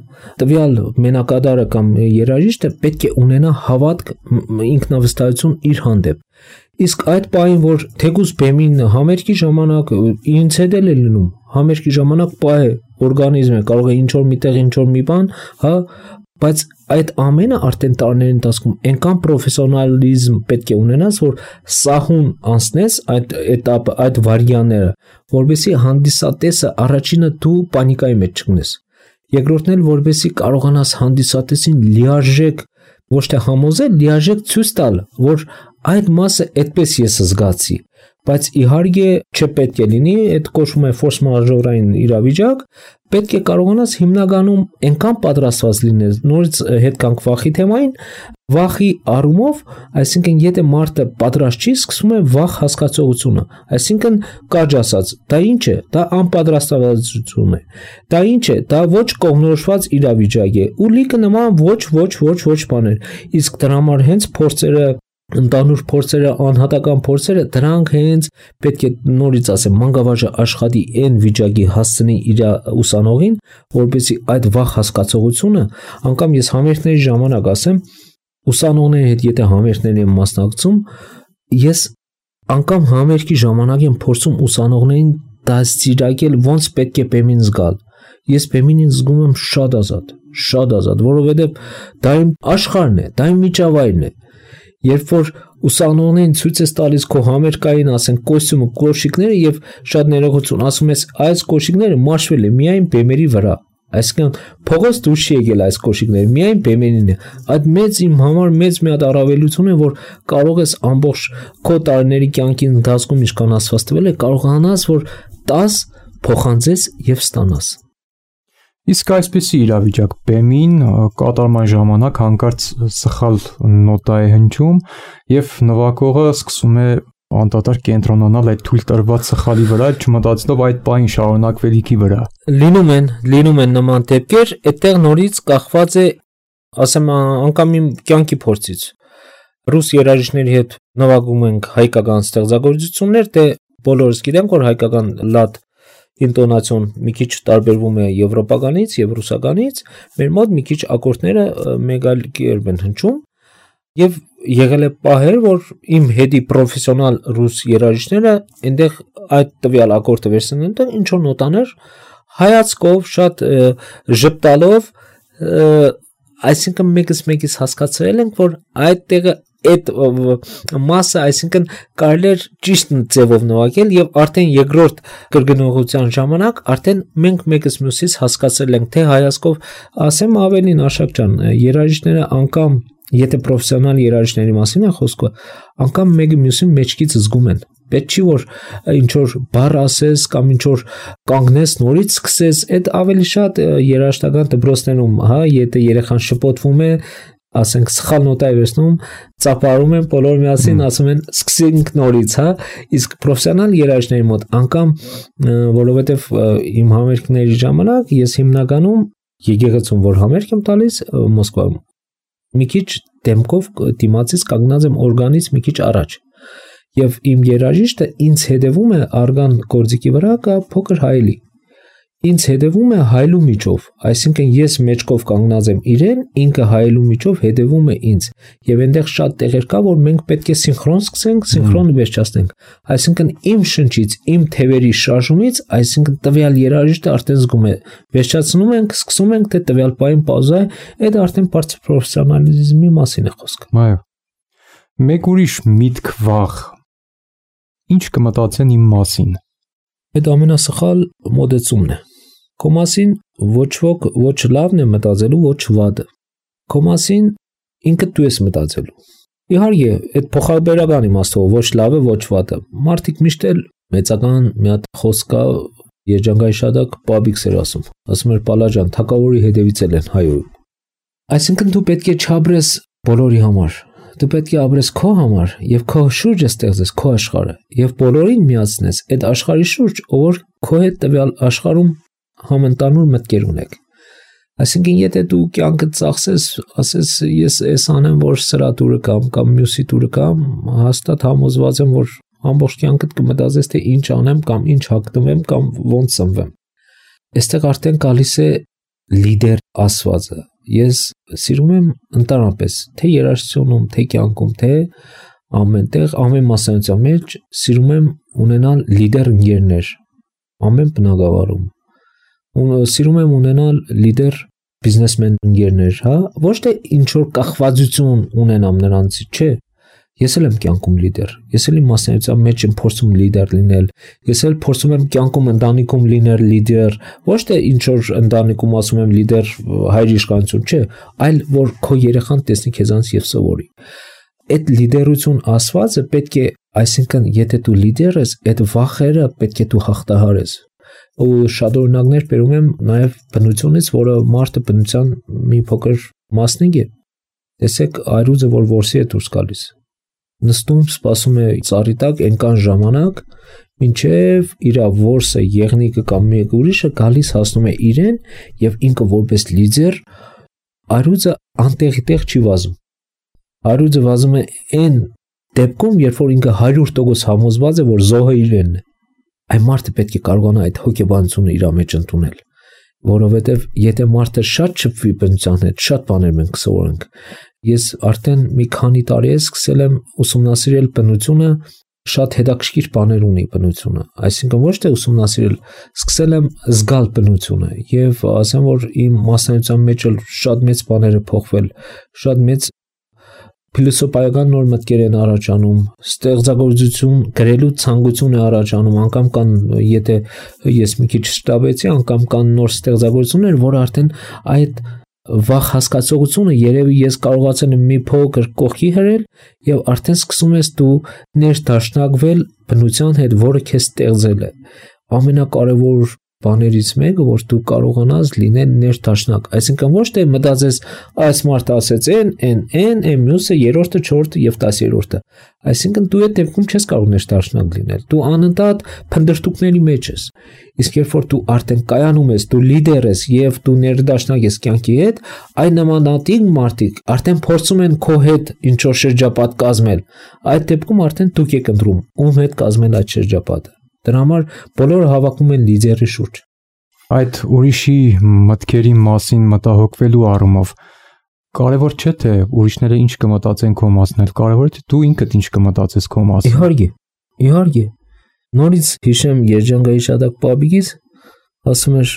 տվյալ մենակադարը կամ երաժիշտը պետք է ունենա հավատք, ինքնավստահություն իր հանդեպ։ Իսկ այդ պահին, որ թեկուզ բեմին համերգի ժամանակ ինձ հետ էլ է լինում, համերգի ժամանակ պահ է, օրգանիզմ է, կարող է ինչ-որ միտեղ ինչ-որ մի բան, հա, բայց այդ ամենը արդեն տարիների ընթացքում այնքան պրոֆեսիոնալիզմ պետք է ունենաս, որ սահուն անցնես այդ էտապը, այդ վարիանները, որովհետեւ հանդիսատեսը առաջինը դու պանիկայի մեջ չգնես։ Երկրորդն էլ որովհետեւ կարողանաս հանդիսատեսին լիարժեք ոչ թե համոզել, լիարժեք ցույց տալ, որ այդ մասը այդպես ես զգացի, բայց իհարկե չպետք է լինի, այդ կոչվում է ֆորս մաժորային իրավիճակ, պետք է կարողանաս հիմնականում այնքան պատրաստված լինես, նորից հետ կանք վախի թեմային, վախի առումով, այսինքն եթե մարդը պատրաստ չի, սկսում է վախ հասկացողությունը, այսինքն կարճ ասած, դա ինչ է, դա անպատրաստվածություն է, դա ինչ է, դա ոչ կողմնորոշված իրավիճակ է, ու լիքը նման ոչ բաներ, իսկ դրա համար հենց փորձերը ընդանուր փորձերը, անհատական փորձերը, դրանք հենց պետք է նորից ասեմ, մանկավարժը աշխատի այն վիճակի հասցնի իր ուսանողին, որպեսզի այդ վախ հասկացողությունը, անգամ ես համերգների ժամանակ ասեմ, ուսանողների հետ եթե համերգների եմ մասնակցում, ես անգամ համերգի ժամանակ եմ փորձում ուսանողներին դաստիարակել ոնց պետք է բեմին զգալ։ Ես բեմին զգում եմ շատ ազատ, որովհետև դա իմ աշխարհն է, դա իմ միջավայրն է։ Երբ որ ուսանողներին ցույց ես տալիս քո համերգային, ասենք, կոստյումը, կոշիկները եւ շատ ներողություն ասում ես, այս կոշիկները մաշվել է միայն բեմերի վրա։ Այսինքն փողոց դուրս չի եկել այս կոշիկները, միայն բեմերին է։ Այդ մեծ իմ համար մեծ մի հատ առավելություն է, որ կարող ես ամբողջ քո տարիների կյանքի ընթացքում ինչքան ասված տվել է, կարողանաս, որ 10 փոխանցես եւ ստանաս։ Իսկ այսպեսի իրավիճակ բեմին կատարման ժամանակ հանկարծ սխալ նոտա է հնչում եւ նվագողը սկսում է անդադար կենտրոնանալ այդ թույլ տրված սխալի վրա, չմտածելով այդ պահին շարունակվելիքի վրա։ Լինում են նման դեպքեր, այդտեղ նորից կախված է, ասեմ, անգամ իմ կյանքի փորձից։ Ռուս երաժիշտների հետ նվագում ենք հայկական ստեղծագործություններ, դե բոլորս գիտենք, որ հայկական լատ ինտոնացիոն մի քիչ տարբերվում է եվրոպականից եւ ռուսականից, մեր մոտ մի քիչ ակորդները մեկ այլ կերպ են հնչում եւ եղել է պահեր, որ իմ հետի պրոֆեսիոնալ ռուս երաժիշտները այնտեղ այդ տվյալ ակորդը վերցնեն, ինչ որ նոտաներ հայացքով շատ ժպտալով, այսինքն մեկից հասկացել ենք, որ այդ տեղը այդ մասը, այսինքն կարելի է ճիշտ ձևով նվագել եւ արդեն երկրորդ կրկնողության ժամանակ արդեն մենք մեկս մյուսից հասկացել ենք, թե հայացքով ասեմ ավելին Աշակ ջան, երաժիշտները անգամ եթե պրոֆեսիոնալ երաժիշտների մասին է խոսքը, անգամ մեկը մյուսին մեջքից զգում են։ Պետք չի որ ինչ որ բառ ասես կամ ինչ որ կանգնես նորից սկսես, այդ ավելի շատ երաժշտական դպրոցներում, հա, եթե երեխան շփոթվում է, ասենք սխալ նոտա է վերցնում, ծափարում են բոլոր միասին, ասում են սկսենք նորից, հա, իսկ պրոֆեսիոնալ երաժիշտների մոտ անգամ որովհետև իմ համերգների ժամանակ ես հիմնականում եկեղեցում որ համերգ եմ տալիս Մոսկվայում մի քիչ դեմքով դիմացից կանգնած եմ օրգանից մի քիչ առաջ եւ իմ երաժիշտը ինձ հետևում է արգան գործիքի վրա կա փոքր հայելի ինձ հետևում է հայլու միջով, այսինքն ես մեջքով կանգնած եմ իրեն, ինքը հայլու միջով հետևում է ինձ, եւ այնտեղ շատ տեղեր կա, որ մենք պետք է սինխրոն սկսենք, սինխրոն վերջացնենք, այսինքն իմ շնչից, իմ թևերի շարժումից, այսինքն տվյալ երաժիշտը արդեն զգում է, վերջացնում ենք, սկսում ենք, թե տվյալ պահին պաուզա է, այդ արդեն բարձր պրոֆեսիոնալիզմի մասին է խոսքը։ Այո։ Մեկ ուրիշ միտք վախ։ Ինչ կմտածեն իմ մասին։ Այդ ամենասխալ մոդեցումն է։ Քո մասին ոչ ոք ոչ լավն է մտածելու, ոչ վատը։ Քո մասին ինքդ դու ես մտածելու։ Իհարկե, այդ փոխաբերական իմաստով ոչ լավը, ոչ վատը։ Մարդիկ միշտ էլ մեծական մի հատ խոսք կա, երջանկայի շատակ պաբիքս էր ասում։ Ասում էր Պալաջան, թակավորի հետևից են հայոյում։ Այսինքն դու պետք է չաբրես բոլորի համար։ Դու պետք է ապրես քո համար եւ քո շուրջը ստեղծես քո աշխարհը եւ բոլորին միացնես այդ աշխարհի շուրջ, ով որ քո հետ տվյալ աշխարհում համընդանուր մտքեր ունեք։ Այսինքն եթե դու կյանքդ ծախսես, ասես ես էս անեմ, որ սրա դուրը կամ մյուսի դուրը կամ, հաստատ համոզված եմ, որ ամբողջ կյանքդ կմտածես, թե ինչ անեմ կամ ինչ հագնվեմ կամ ոնց ծնվեմ։ Այստեղ արդեն գալիս է լիդեր ասվածը։ Ես սիրում եմ ընդհանրապես, թե երաժշտությունում, թե կյանքում, թե ամենտեղ, ամեն մասնագիտության մեջ սիրում եմ ունենալ լիդեր ընկերներ, ամեն բնակավարում։ Սիրում եմ ունենալ լիդեր բիզնեսմեն ընկերներ, հա, ոչ թե ինչ որ կախվածություն ունենամ նրանցից, չէ։ Ես էլ եմ կյանքում լիդեր, ես էլ իմ մասնագիտության մեջ եմ փորձում լիդեր լինել, ես էլ փորձում եմ կյանքում ընտանիքում լինել լիդեր, ոչ թե ինչ որ ընտանիքում ասում եմ լիդեր հայր իշխանություն, չէ, այլ որ քո երեխան տեսնի քեզանից եւ սովորի։ Այդ լիդերություն ասվածը պետք է, այսինքն եթե դու լիդեր ես, այդ վախերը պետք է դու հաղթահարես։ Ու շատ օրինակներ բերում եմ նաև բնությունից, որը մարդը բնության մի փոքր մասնիկ է։ Տեսեք այրուձը, որ որսի է դուրս գալիս։ Նստում, սպասում է ծառի տակ այնքան ժամանակ, մինչև իր որսը, եղնիկը կամ մեկ ուրիշը գալիս հասնում է իրեն եւ ինքը որպես լիդեր այրուձը անտեղի տեղ չի վազում։ Այրուձը վազում է այն դեպքում, երբ որ ինքը 100% համոզված է, որ զոհը իրենն է։ Այն մարդը պետք է կարողանա այդ հոգեբանությունը իր մեջ ընդունել, որովհետև եթե մարդը շատ շփվի բնության հետ, շատ բաներ մենք կսովորենք։ Ես արդեն մի քանի տարի սկսել եմ ուսումնասիրել բնությունը, շատ հետաքրքիր բաներ ունի բնությունը, այսինքն ոչ թե ուսումնասիրել, սկսել եմ զգալ բնությունը եւ ասեմ, որ իմ մասնագիտության մեջ էլ շատ մեծ բաներ է փոխվել, շատ մեծ փիլիսոփայական նոր մտքեր են առաջանում, ստեղծագործություն գրելու ցանկություն է առաջանում, անգամ կան, եթե ես մի քիչ շտաբեցի, անգամ կան նոր ստեղծագործություններ, որ արդեն այդ վախ հասկացողությունը երևի ես կարողացել եմ մի փոքր կողքի հրել եւ արդեն սկսում ես դու ներդաշնակվել բնության հետ, որը քեզ ստեղծել է։ Ամենակարևոր բաներից մեկը, որ դու կարողանաս լինել ներդաշնակ, այսինքն ոչ թե մտածես այս մարդը ասեց այն մյուսը երրորդը, չորրորդը եւ 10-րդը, այսինքն դու այդ դեպքում չես կարող ներդաշնակ լինել, դու անընդհատ փնտրտուքների մեջ ես, իսկ երբ որ դու արդեն կայանում ես, դու լիդեր ես եւ դու ներդաշնակ ես կյանքի հետ, այն նմանատիպ մարդիկ արդեն փորձում են քո հետ ինչ որ շրջապատ կազմել, այդ դեպքում արդեն դուք եք ընտրում ում հետ կազմել այդ շրջապատը։ Դրա համար բոլորը հավաքում են լիդերի շուրջ։ Այդ ուրիշի մտքերի մասին մտահոգվելու առումով կարևոր չէ թե ուրիշները ինչ կմտածեն քո մասին, կարևորը թե դու ինքդ ինչ կմտածես քո մասին։ Իհարկե։ Նորից հիշեմ Երջանկայի Շադակ Պաբիկից, ասում էր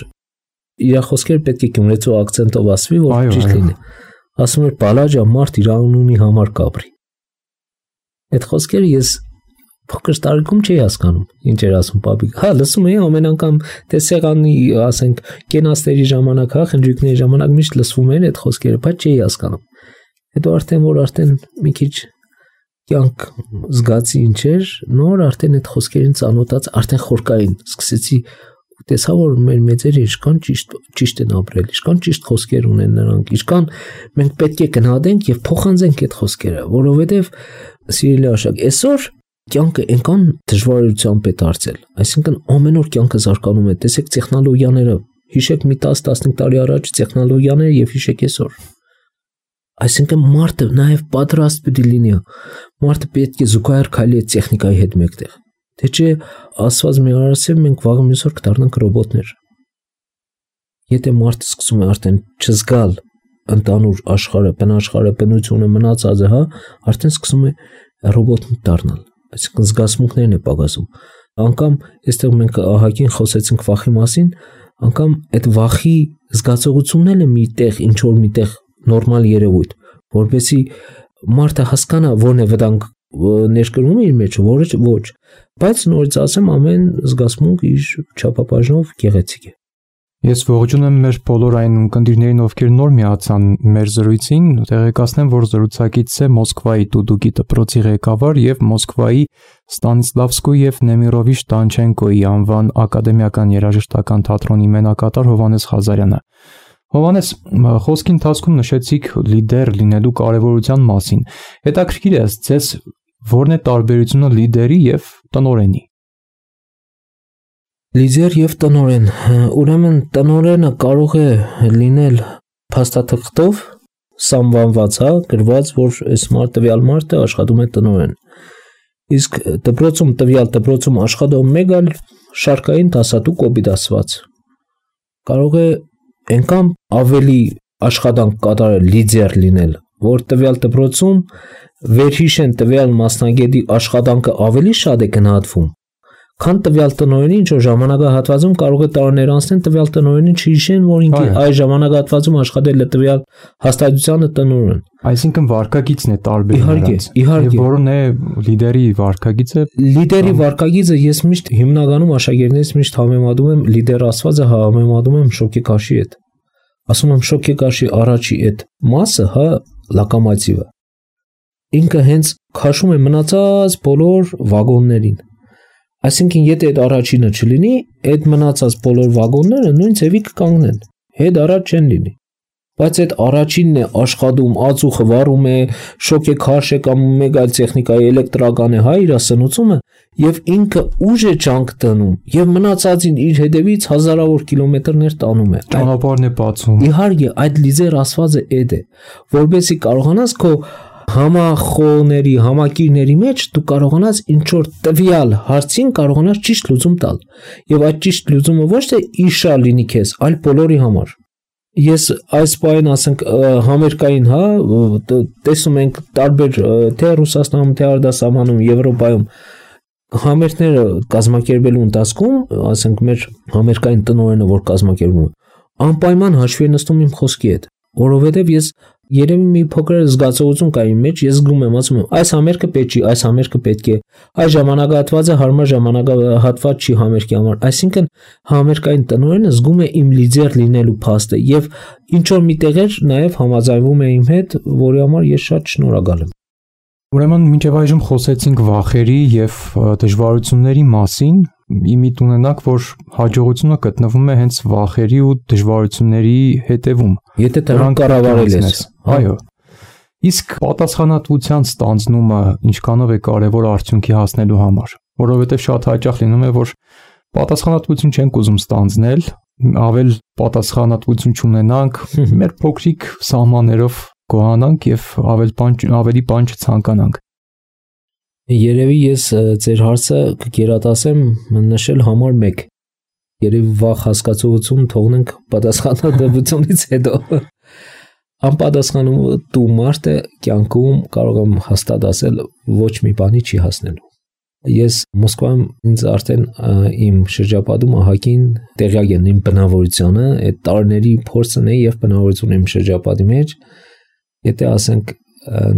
իր խոսքերը պետք է գյումրեցու ակցենտով ասվի, որ ճիշտ լինի։ Ասում էր բալաջա մարդ իր անունի համար կապրի։ Այդ խոսքերը ես փոքր տարիքում չի հասկանում, ինչ էր ասում Պապիկ։ Հա, լսում էի ամեն անգամ տեսեղանի, ասենք, կենացների ժամանակ, հա, խնջույքների ժամանակ միշտ լսվում էր այդ խոսքերը, բայց չի հասկանում։ Հետո արդեն մի քիչ կյանք զգացի ինչ էր, նոր արդեն այդ խոսքերին ծանոթաց, արդեն խորկային սկսեցի ու տեսա, որ մեր մեծերը ինչքան ճիշտ են ապրել, ինչքան ճիշտ խոսքեր ունեն նրանք, ինչքան մենք պետք է գնահատենք եւ փոխանցենք այդ խոսքերը, որովհետեւ սիրելի աշակ, այսօր կյանքը այնքան դժվարությամբ է դարձել, այսինքն ամեն օր կյանքը զարգանում է, տեսեք տեխնոլոգիաները, հիշեք մի 10-15 տարի առաջ տեխնոլոգիաները եւ հիշեք այսօր։ Այսինքն մարդը նաեւ պատրաստ պետք է լինի, մարդը պետք է զուգահեռ քայլի այդ տեխնիկայի հետ մեկտեղ, թե չէ ասված մի արարսև մենք վաղը մյուս օր կդառնանք ռոբոտներ։ Եթե մարդը սկսում է արդեն չզգալ ընդանուր աշխարհը, բնաշխարհը, բնությունը, մնացածը, հա, արդեն սկսում է ռոբոտ դառնալ, այսինքն զգացմունքներն է պակասում։ Անկամ այստեղ մենք ահագին խոսեցինք վախի մասին, անկամ այդ վախի զգացողությունն է միտեղ, ինչ որ միտեղ նորմալ երևույթ, որովհետեւ մարդը հասկանա որն է վտանգ ներկրում իր մեջ, որը ոչ, բայց նորից ասեմ, ամեն զգացմունք իր չափաբաժնով գեղեցիկ է։ Ես ողջունում եմ մեր բոլոր այն ունկնդիրներին, ովքեր նոր միացան մեր զրույցին, տեղեկացնեմ, որ զրուցակիցս է Մոսկվայի Դուդուկի դպրոցի ղեկավար եւ Մոսկվայի Ստանիսլավսկոյի եւ Նեմիրովիչ Տանչենկոյի անվան ակադեմիական երաժշտական թատրոնի մենակատար Հովհաննես Ղազարյանը։ Հովհաննես, խոսքի ընթացքում նշեցիք լիդեր լինելու կարևորության մասին։ Հետաքրքիր է, ձեզ որն է տարբերությունը լիդերի եւ տնօրենի։ Լիդեր եւ տնօրեն։ Ուրեմն տնօրենը կարող է լինել փաստաթղթով սահմանված, գրված, որ այս տվյալ մարդը աշխատում է տնօրեն։ Իսկ տվյալ դպրոցում աշխատող մեկ այլ շարքային դասատու կոպիտ կարող է այնքան ավելի աշխատանք կատարել, լիդեր լինել, որ տվյալ դպրոցում վերհիշեն տվյալ մասնագետի աշխատանքը ավելի շատ է գնահատվում, քան տվյալ տնօրենի, ինչ որ ժամանակահատվածում կարող է տարիներ անցնել տվյալ տնօրենին չհիշեն, որ ինքը այս ժամանակահատվածում աշխատել է տվյալ հաստատությանը տնօրեն։ Այսինքն վարկագիծն է տարբեր նրանց։ Իհարկե, որն է լիդերի վարկագիծը։ Լիդերի վարկագիծը ես միշտ հիմնականում աշակերտներից միշտ համեմատում եմ լիդեր ասվածը համեմատում եմ շոկեքաշի հետ։ Ասում եմ շոկեքաշի առաջի այդ մասը, լոկոմոտիվը։ Ինքը հենց քաշում է մնացած բոլոր վագոններին։ Այսինքն եթե այդ առաջինը չլինի, այդ մնացած բոլոր վագոնները նույն ձևի կկանգնեն, հետ առաջ չեն լինի։ Բայց այդ առաջինն է աշխատում, ածուխը վառում է, շոկեքաշ է կամ մեկ այլ տեխնիկայի էլեկտրական է, իր սնուցումը, եւ ինքը ուժ է ջանք տնում, եւ մնացածին իր հետևից հազարավոր կիլոմետրներ տանում է։ Ճանապարհն է բացում։ Իհարկե, այդ լիդեր ասվածը այդ է, որովհետեւ կարողանաս քո համախոհների, համակիրների մեջ դու կարողանաս ինչ որ տվյալ հարցին կարողանաս ճիշտ լուծում տալ։ Եվ այդ ճիշտ լուծումը ոչ թե իշա լինի քեզ, այլ բոլորի համար։ Ես այս բանին ասենք համերկային, տեսնում ենք տարբեր թե Ռուսաստանում, թե արտասահմանում, Եվրոպայում համերգները կազմակերպելու ընթացքում, ասենք մեր համերկային տնօրենը որ կազմակերպում է, անպայման հաշվի է նստում իմ խոսքի հետ, որովհետև ես երևի մի փոքր զգացողություն կա իմ մեջ, ես զգում եմ, ասում եմ, այս համերգը պետք չի, այս համերգը պետք է, այս ժամանակահատվածը հարմար ժամանակահատված չի համերգի համար, այսինքն համերգային տնօրենը զգում է իմ լիդեր լինելու փաստը եւ ինչ որ միտեղ էր նաեւ համաձայնվում է իմ հետ, որի համար ես շատ շնորհակալ եմ։ Ուրեմն մինչև այժմ խոսեցինք վախերի եւ դժվարությունների մասին, իմիտ ունենաք, որ հաջողությունը գտնվում է հենց վախերի ու դժվարությունների հետևում։ Եթե դրանք կառավարել ես, այո։ Իսկ պատասխանատվության ստանձնումը ինչքանով է կարևոր արդյունքի հասնելու համար, որովհետեւ շատ հաճախ լինում է, որ պատասխանատվություն չենք ուզում ստանձնել, ավել պատասխանատվություն չունենանք, մեր փոքրիկ սահմաններով գոհանանք եւ ավելի բան չցանկանանք։ Երևի ես ձեր հարցը կգերատասեմ նշել համար 1։ Երևի վախ հասկացողություն թողնենք պատասխանատվությունից հետո։ Անպատասխանատու մարդը կյանքում կարող եմ հաստատ ասել ոչ մի բանի չի հասնելու։ Ես Մոսկվայում ինձ արդեն իմ շրջապատում ահագին տեղյակ են իմ բնավորությունը, այդ տարիների փորձն է եւ բնավորությունը իմ շրջապատի մեջ։ Եթե ասենք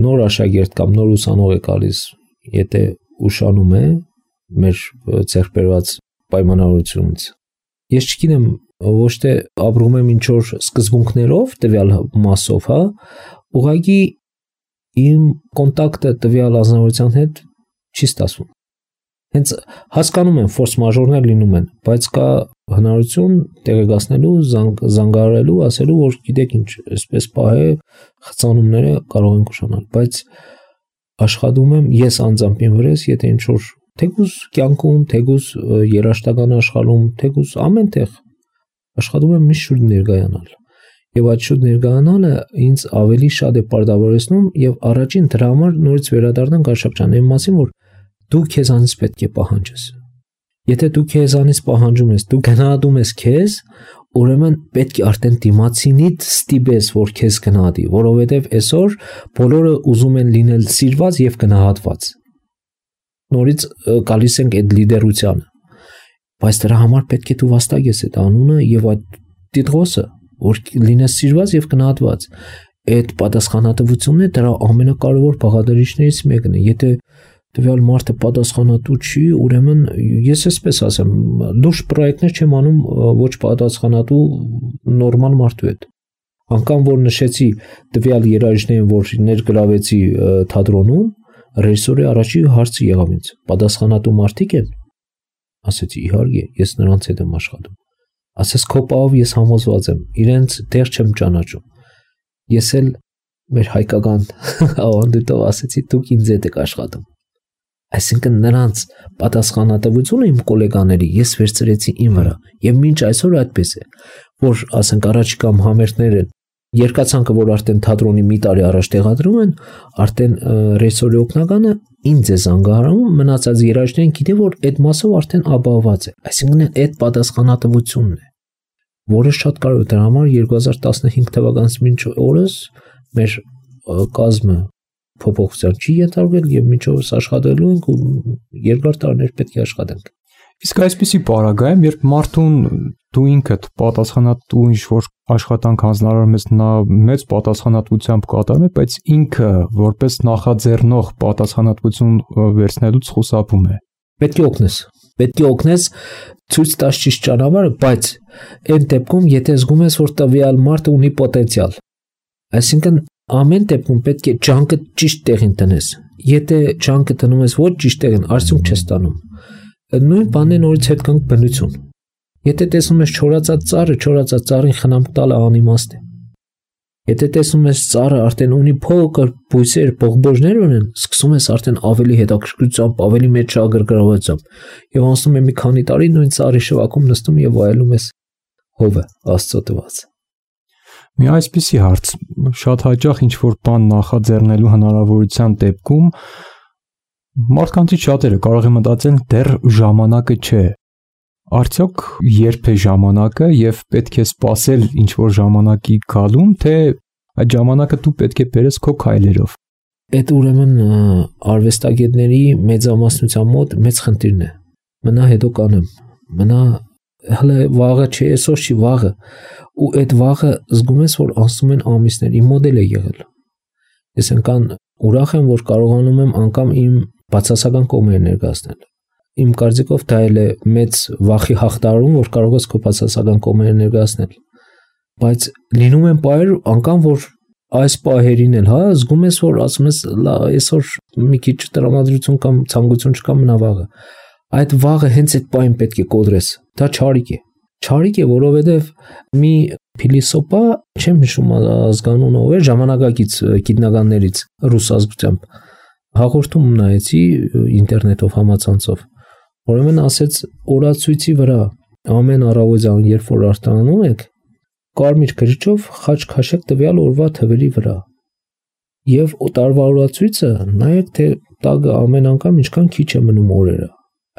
նոր աշակերտ կամ նոր ուսանող է գալիս, եթե ուշանում է մեր ձեռք բերված պայմանավորությունից, ես չգիտեմ ոչ թե ապրում եմ ինչ որ սկզբունքներով տվյալ մասով, ուղղակի իմ կոնտակտը տվյալ ազնվության հետ չի ստացվում։ Հենց հասկանում եմ ֆորս մաժորներ լինում են, բայց կա հնարություն տեղեկացնելու, զանգահարելու, ասելու, որ գիտեք ինչ, այսպես պահ է, խցանումները կարող են ուշանալ, բայց աշխատում եմ ես անձամբ իմ վրես, եթե ինչ որ թեկուզ կյանքում, թեկուզ երաշտական աշխարհում, թեկուզ ամեն տեղ աշխատում եմ միշտ շուտ ներկայանալ։ Եվ այդ շուտ ներկայանալը ինձ ավելի շատ է պարտավորեցնում եւ առաջին դրա համար նորից վերադառնանք Արշակ ջան, այն մասին, որ դու քեզանից պետք է պահանջես։ Եթե դու քեզանից պահանջում ես, դու գնահատում ես քեզ, ուրեմն պետք է արդեն դիմացինիդ ստիպես, որ քեզ գնահատի, որովհետև այսօր բոլորը ուզում են լինել սիրված եւ գնահատված։ Նորից գալիս ենք այդ լիդերությանը։ Բայց դրա համար պետք է դու վաստակես այդ անունը եւ այդ տիտղոսը, որ լինես սիրված եւ գնահատված։ Այդ պատասխանատվությունն է դրա ամենակարևոր բաղադրիչներից մեկն է։ Եթե տվյալ մարդը պատասխանատու չի, ուրեմն ես այսպես ասեմ, լուրջ պրոյեկտներ չեմ անում ոչ պատասխանատու նորմալ մարդու հետ։ Անկամ որ նշեցի տվյալ երաժիշտներին, որ ներգրավեցի թատրոնում, ռեժիսորի առաջի հարցը եղավ ինձ. պատասխանատու մարդիկ են։ Ասեցի իհարկե, ես նրանց հետ եմ աշխատում։ Ասես քո պահով ես համոզված եմ, իրենց դեռ չեմ ճանաչում։ Ես էլ մեր հայկական ավանդույթով ասեցի, դուք ինձ հետ եք աշխատում։ Այսինքն նրանց պատասխանատվությունը իմ գոլեգաների ես վերցրեցի իմ վրա եւ մինչ այսօր այդպես է, որ ասենք առաջիկամ համերգները երկացանկը, որ արդեն թատրոնի մի տարի առաջ տեղադրում են, արդեն ռեժիսորի օգնականը ինձ է զանգահարում, մնացած երաժիշտներին գիտի, որ այդ մասով արդեն ապահովված է։ Այսինքն այդ պատասխանատվությունն է, որը շատ կարևոր է։ Դրա համար 2015 թվականից մինչ օրս մեր կազմը փոփոխության չի ենթարկվել եւ մինչ օրս աշխատելու ենք ու երկար տարիներ պետք է աշխատենք։ Իսկ այսպիսի պարագայում, երբ մարդուն դու ինքդ պատասխանատու ինչ-որ աշխատանք հանձնարարում ես, նա մեծ պատասխանատվությամբ կատարում է, բայց ինքը որպես նախաձեռնող պատասխանատվություն վերցնելուց խուսափում է։ Պետք է օգնես ցույց տաս ճիշտ ճանապարհը, բայց այն դեպքում, եթե զգում ես, որ տվյալ մարդը ունի պոտենցիալ, այսինքն ամեն դեպքում պետք է ջանքը ճիշտ տեղին տնես։ Եթե ջանքը տնում ես ոչ ճիշտ տեղին, արդյունք չես ստանում։ Նույն բանն է նորից հետ կանգ բնություն։ Եթե տեսնում ես չորացած ծառին խնամք տալը անիմաստ է։ Եթե տեսնում ես ծառը արդեն ունի փոքր բույսեր, բողբոջներ ունեն, սկսում ես արդեն ավելի հետաքրքրությամբ, ավելի մեծ շահագրգռվածությամբ եւ անցնում է մի քանի տարի նույն ծառի շվակում նստում եւ վայելում ես հովը Աստծո տված։ Մի այսպիսի հարց, շատ հաճախ ինչ-որ բան նախաձեռնելու հնարավորության դեպքում մարդկանցից շատերը կարող են մտածել դեռ ժամանակը չէ։ Արդյոք երբ է ժամանակը եւ պետք է սպասել ինչ-որ ժամանակի գալուն, թե այդ ժամանակը դու պետք է բերես քո քայլերով։ Այդ ուրեմն արվեստագետների մեծամասնության մոտ մեծ խնդիրն է։ Մնա հետո կանեմ։ Մնա հələ վաղը չէ, այսօր չի վաղը։ Ու այդ վաղը զգում ես, որ անցնում են ամիսներ, իմ մոդել է եղել։ Ես այնքան ուրախ եմ, որ կարողանում եմ անգամ իմ բացասական կողմերը ներկայացնել։ Իմ կարծիքով դա էլ է մեծ վախի հաղթահարում, որ կարող ես քո բացասական կողմերը ներկայացնել։ Բայց լինում են պահեր անգամ, որ այս պահերին էլ, զգում ես, որ ասում ես, այսօր մի քիչ տրամադրություն կամ ցանկություն չկա, մնա վաղը։ Այդ վաղը հենց այդ պահին պետք է կոտրես։ Դա չարիք է։ Չարիք է, որովհետև մի փիլիսոփա, չեմ հիշում ազգանունը ով է, ժամանակակից գիտնականներից ռուս ազգությամբ հաղորդում նայեցի ինտերնետով համացանցով, ուրեմն ասեց օրացույցի վրա ամեն առավոտյան, երբ որ արտանանում եք, կարմիր գրիչով խաչ քաշեք տվյալ օրվա թվերի վրա եւ տարվա օրացույցը նայեք, թե տագը ամեն անգամ ինչքան քիչ է մնում օրերը,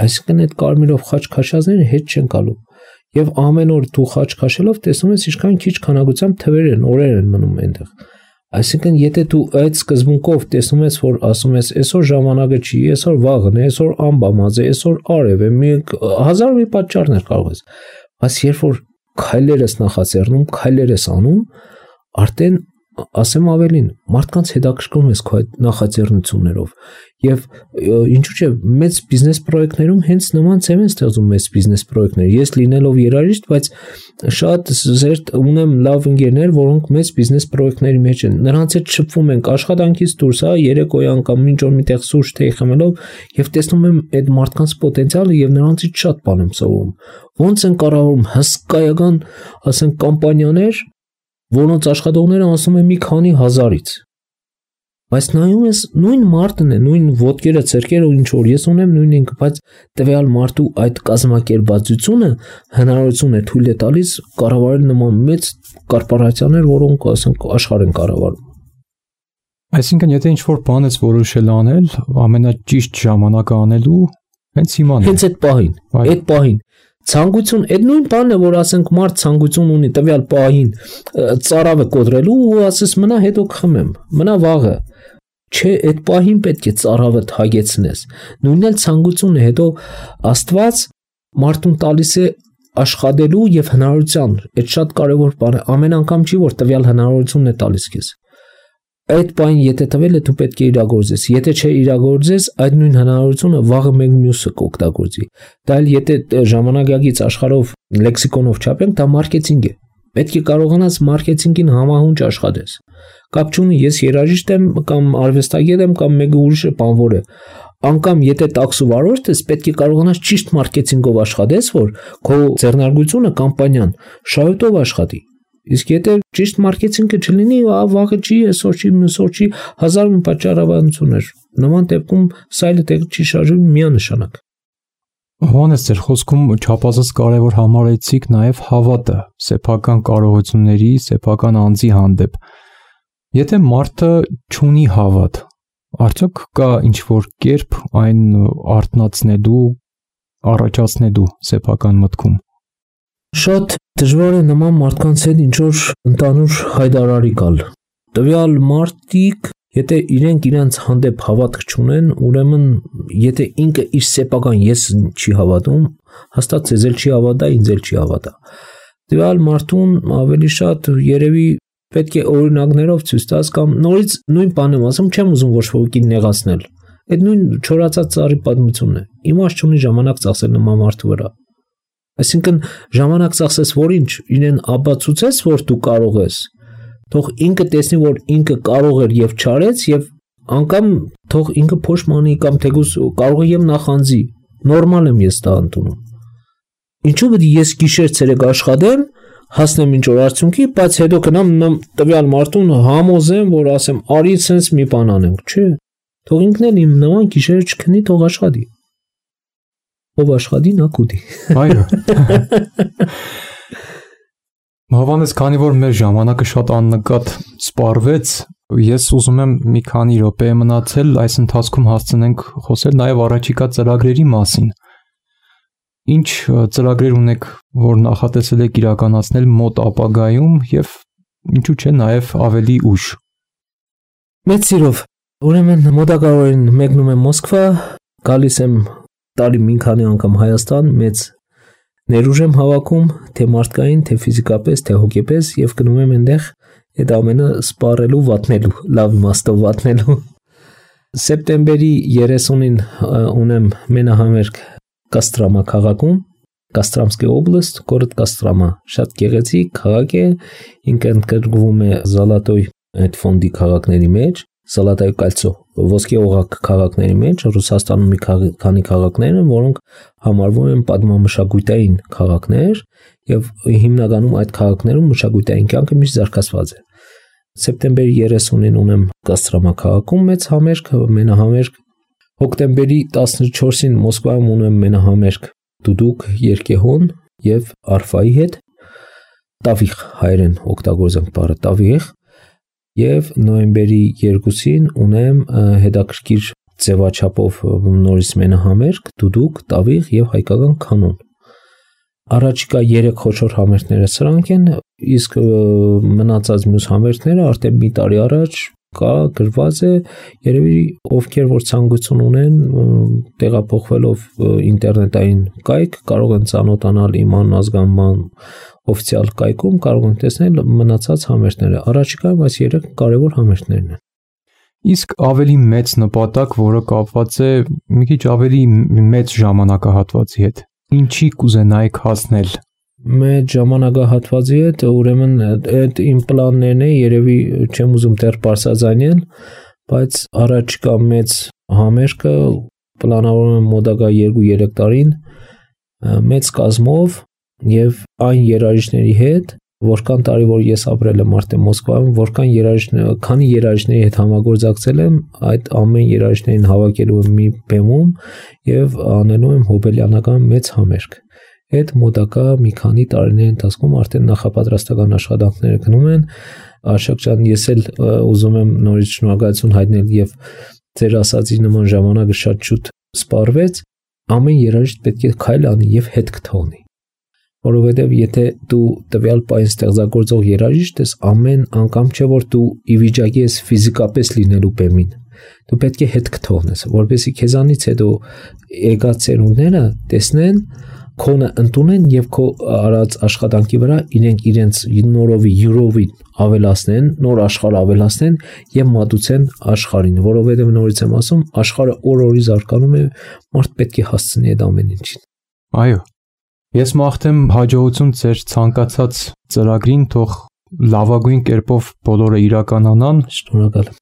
այսինքն այդ կարմիրով խաչ քաշածները հետ չեն գալու եւ ամեն օր դու խաչ քաշելով տեսնում ես ինչքան քիչ քանակությամբ թվեր են, օրեր են մնում այնտեղ։ Այսինքն, եթե դու այդ սկզբունքով տեսնում ես, որ ասում ես, այսօր ժամանակը չի, այսօր վաղն է, այսօր ամբամած է, այսօր արև է, մի հազար մի պատճառներ կարող ես։ Բայց երբ որ քայլեր ես նախաձեռնում, քայլեր ես անում, արդեն ասեմ ավելին, մարդկանց հետաքրքրում ես քո այդ նախաձեռնություններով եւ ինչու՞ չէ մեծ բիզնես պրոյեկտներում հենց նման ծև են ստեղծում մեծ բիզնես պրոյեկտներ։ Ես լինելով երաժիշտ, բայց շատ զերծ ունեմ լավ ընկերներ, որոնք մեծ բիզնես պրոյեկտների մեջ են։ Նրանց հետ շփվում ենք աշխատանքից դուրս, երեկոյան կամ մինչ օր միտեղ սուրճ թեյ խմելով եւ տեսնում եմ այդ մարդկանց պոտենցիալը եւ նրանցից շատ բան եմ սովորում։ Ոնց են կառավարում հսկայական, ասենք, կամպանիաներ, որոնց աշխատողները ասում են մի քանի հազարից։ Բայց նայում ես նույն մարդն է, նույն ոտքերը, ցերկերը, ինչ որ ես ունեմ նույն ինքը, բայց տվյալ մարդու այդ կազմակերպվածությունը հնարավորություն է թույլ է տալիս կառավարել նման մեծ կորպորացիաներ, որոնք ասենք աշխարհ են կառավարում։ Այսինքն, եթե ինչ-որ բան ես որոշել անել, ամենաճիշտ ժամանակը անելու հենց հիմա է։ Հենց այդ պահին։ Ցանկություն, այդ նույն բանն է, որ ասենք մարդ ցանկություն ունի տվյալ պահին ծարավը կոտրելու ու ասես մնա հետո կխմեմ, մնա վաղը։ Չէ, այդ պահին պետք է ծարավը հագեցնես։ Նույնն էլ ցանկություն է, հետո Աստված մարդուն տալիս է աշխատելու եւ հնարավորության։ Այդ շատ կարեւոր բան է։ Ամեն անգամ չի, որ տվյալ հնարավորությունն է տալիս քեզ։ Այդ բանին եթե տվել է, դու պետք է իրագործես։ Եթե չէ իրագործես, այդ նույն հնարավորությունը վաղը մեկ մյուսը կօգտագործի։ Դա էլ եթե ժամանակակից աշխարհով լեքսիկոնով չափենք, դա մարքեթինգ է։ Պետք է կարողանաս մարքեթինգին համահունչ աշխատես։ Կապ չունի, ես երաժիշտ եմ կամ արվեստագետ եմ կամ մեկը ուրիշը բանվոր է։ Անկամ եթե տաքսու վարորդ ես, պետք է կարողանաս ճիշտ մարքեթինգով աշխատես, որ քո ձեռնարկությունը կամպանիան շահույթով աշխատի։ Իսկ եթե ճիշտ մարքեթինգը չլինի, վաղը չի, այսօր չի, մյուսօր չի, հազար մի պատճառաբանություններ։ Նման դեպքում սայլը տեղը չի շարժվում միանշանակ։ Հովանես, ձեր խոսքում չափազանց կարևոր համարեցիք նաև հավատը, սեփական կարողությունների, սեփական անձի հանդեպ։ Եթե մարդը չունի հավատ, արդյոք կա ինչ-որ կերպ այն արթնացնելու, առաջացնելու սեփական մտքում։ Շատ դժվար է նման մարդկանց հետ ինչ-որ ընդհանուր հայտարարի գալ։ Տվյալ մարդիկ, եթե իրենց հանդեպ հավատք չունեն, ուրեմն եթե ինքը իր սեփական ես չի հավատում, հաստատ ցեզ էլ չի հավատա, ինձ էլ չի հավատա։ Տվյալ մարդուն ավելի շատ երևի պետք է օրինակներով ցույց տաս կամ նորից նույն բանը ասեմ, չեմ ուզում ոչ ոքին նեղացնել։ Այդ նույն չորացած ծառի պատմությունն է։ Իմաստ չունի ժամանակ ծախսել նման մարդու վրա։ Այսինքն ժամանակ ծախսես որ ինչ, իրեն ապացուցես, որ դու կարող ես, թող ինքը տեսնի, որ ինքը կարող էր եւ չարեց եւ անգամ թող ինքը փոշմանի կամ թեկուզ կարող է եւ նախանձի, նորմալ եմ ես դա ընդունում։ Ինչու՞ պետք է ես գիշեր ցերեկ աշխատեմ, հասնեմ ինչ որ արդյունքի, բայց հետո գնամ տվյալ մարդուն համոզեմ, որ ասեմ, արի sense մի բան անենք, չէ։ Թող ինքն էլ իմ նման գիշերը չքնի, թող աշխատի։ Ով աշխատի նա կուտի։ Այո։ Հովանես, քանի որ մեր ժամանակը շատ աննկատ սպառվեց, ես ուզում եմ մի քանի րոպե մնացել, այս ընթացքում հասցնենք խոսել նաև առաջիկա ծրագրերի մասին։ Ինչ ծրագրեր ունեք, որ նախատեսել եք իրականացնել մոտ ապագայում եւ ինչու՞ չէ նաև ավելի ուշ։ Մեծ սիրով։ Ուրեմն մոտակայորեն մեկնում եմ Մոսկվա, գալիս եմ տարի մի քանի անգամ Հայաստան, մեծ ներուժ եմ հավաքում, թե մարդկային, թե ֆիզիկապես, թե հոգեպես եւ գնում եմ այնտեղ այդ ամենը սպառելու, վատնելու, լավ իմաստով վատնելու։ Սեպտեմբերի 30-ին ունեմ մենահամերգ Կաստրամա քաղաքում, Կաստրամսկի օբլաստ, գորոդ Կաստրամա, շատ գեղեցիկ քաղաք է, ինքը ընդգրկվում է Զալատոյ այդ ֆոնդի քաղաքների մեջ, Զալատայ կալցո, ոսկե օղակ քաղաքների մեջ, Ռուսաստանում մի քանի քաղաքներ են, որոնք համարվում են պատմամշակութային քաղաքներ եւ հիմնականում այդ քաղաքներում մշակութային կյանքը միշտ զարգացված է։ Սեպտեմբերի 30-ին ունեմ Կաստրամա քաղաքում մեծ համերգ, մենահամերգ։ Հոկտեմբերի 14-ին Մոսկվայում ունեմ մենահամերգ Դուդուկ Երկեհոն եւ Արֆայի հետ, Տավիղ հայերեն օգտագործենք բառը Տավիղ, եւ նոյեմբերի 2-ին ունեմ հետաքրքիր ձևաչափով նորից մենահամերգ Դուդուկ, Տավիղ եւ հայկական կանոն։ Առաջիկա 3 խոշոր համերգները սրանք են, իսկ մնացած մյուս համերգները արդեն մի տարի առաջ կա գրված է, երևի ովքեր որ ցանկություն ունեն տեղափոխվելով ինտերնետային կայք կարող են ծանոթանալ իմ ազգանման օֆիցիալ կայքում, կարող են տեսնել մնացած համերգները։ Առաջիկայում այս 3 կարևոր համերգներն են։ Իսկ ավելի մեծ նպատակ, որը կապված է մի քիչ ավելի մեծ ժամանակահատվածի հետ, ինչի կուզենայիք հասնել։ Մեծ ժամանակահատվածի հետ, ուրեմն այդ իմ պլաններն է, երևի չեմ ուզում դեռ բարձրաձայնել, բայց առաջիկա մեծ համերգը պլանավորում եմ մոտակա 2-3 տարին մեծ կազմով եւ այն երաժիշտների հետ, որքան տարի որ ես ապրել եմ արդեն Մոսկվայում, որքան քանի երաժիշտների հետ համագործակցել եմ, այդ ամեն երաժիշտներին հավաքելու եմ մի բեմում եւ անելու եմ հոբելյանական մեծ համերգ։ Այդ մոտակա մի քանի տարիների ընթացքում արդեն նախապատրաստական աշխատանքները գնում են։ Արշակ ջան, ես էլ ուզում եմ նորից շնորհակալություն հայտնել եւ ձեր ասածի նման ժամանակը շատ շուտ սպառվեց։ Ամեն երաժիշտ պետք է քայլ անի եւ հետ կթողնի։ Որովհետև եթե դու տվյալ պահին ստեղծագործող երաժիշտ ես, ամեն անգամ չէ որ դու ի վիճակի ես ֆիզիկապես լինելու բեմին, դու պետք է հետ կթողնես, որպեսզի քեզանից հետո եկած ծերունդները տեսնեն, քոնը ընդունեն եւ քո արած աշխատանքի վրա իրենց նորովի յուրովի ավելացնեն, նոր աշխարհ ավելացնեն եւ մատուցեն աշխարհին, որովհետև նորից եմ ասում, աշխարհը օր-օրի զարգանում է, մարդ պետք է հասցնի այդ ամեն ինչին։ Այո։ Ես մաղթեմ հաջողություն ձեր ցանկացած ծրագրին, թող լավագույն կերպով բոլորը իրականանան։ Շնորհակալ եմ։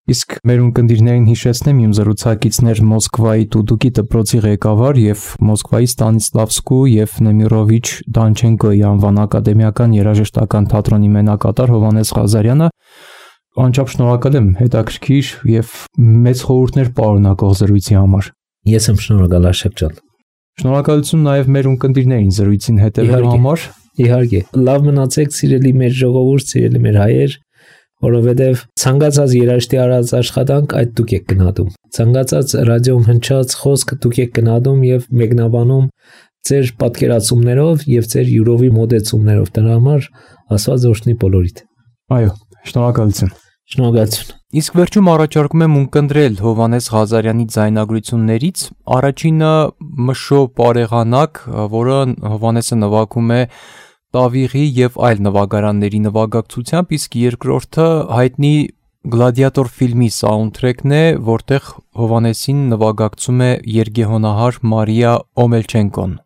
Իսկ մեր ունկնդիրներին հիշեցնեմ իմ զրուցակիցներ Մոսկվայի Տուդուկի դպրոցի ղեկավար եւ Մոսկվայի Ստանիսլավսկու եւ Նեմիրովիչ Դանչենկոյի անվան ակադեմիական երաժշտական թատրոնի մենակատար Հովհաննես Ղազարյանը։ Անչափ շնորհակալ եմ հետաքրքիր եւ մեծ խորհուրդներ պարունակող զրույցի համար։ Ես եմ շնորհակալ Արշակ ջան։ Շնորհակալություն նաեւ մեր ունկնդիրներին զրույցին հետևելու համար։ Իհարկե, լավ մնացեք, սիրելի մեր ժողովուրդ, սիրելի մեր հայեր, որովհետև ցանկացած երաժշտի արած աշխատանք այդ դուք եք գնահատում։ Ցանկացած ռադիոում հնչած խոսք դուք եք գնահատում եւ մեկնաբանում ձեր պատկերացումներով եւ ձեր յուրովի մոդեցումներով։ Դրա համար Աստված օրհնի բոլորիդ։ Այո, շնորհակալություն։ Շնորհակալություն։ Իսկ վերջում առաջարկում եմ ունկնդրել Հովհաննես Ղազարյանի ձայնագրություններից առաջինը Մշո Պարեղանակ, որը Հովհաննեսը նվագում է Տավիղի եւ այլ նվագարանների նվագակցությամբ, իսկ երկրորդը հայտնի Գլադիատոր ֆիլմի սաունդթրեքն է, որտեղ Հովհաննեսին նվագակցում է երգեհոնահար Մարիա Օմելչենկոն։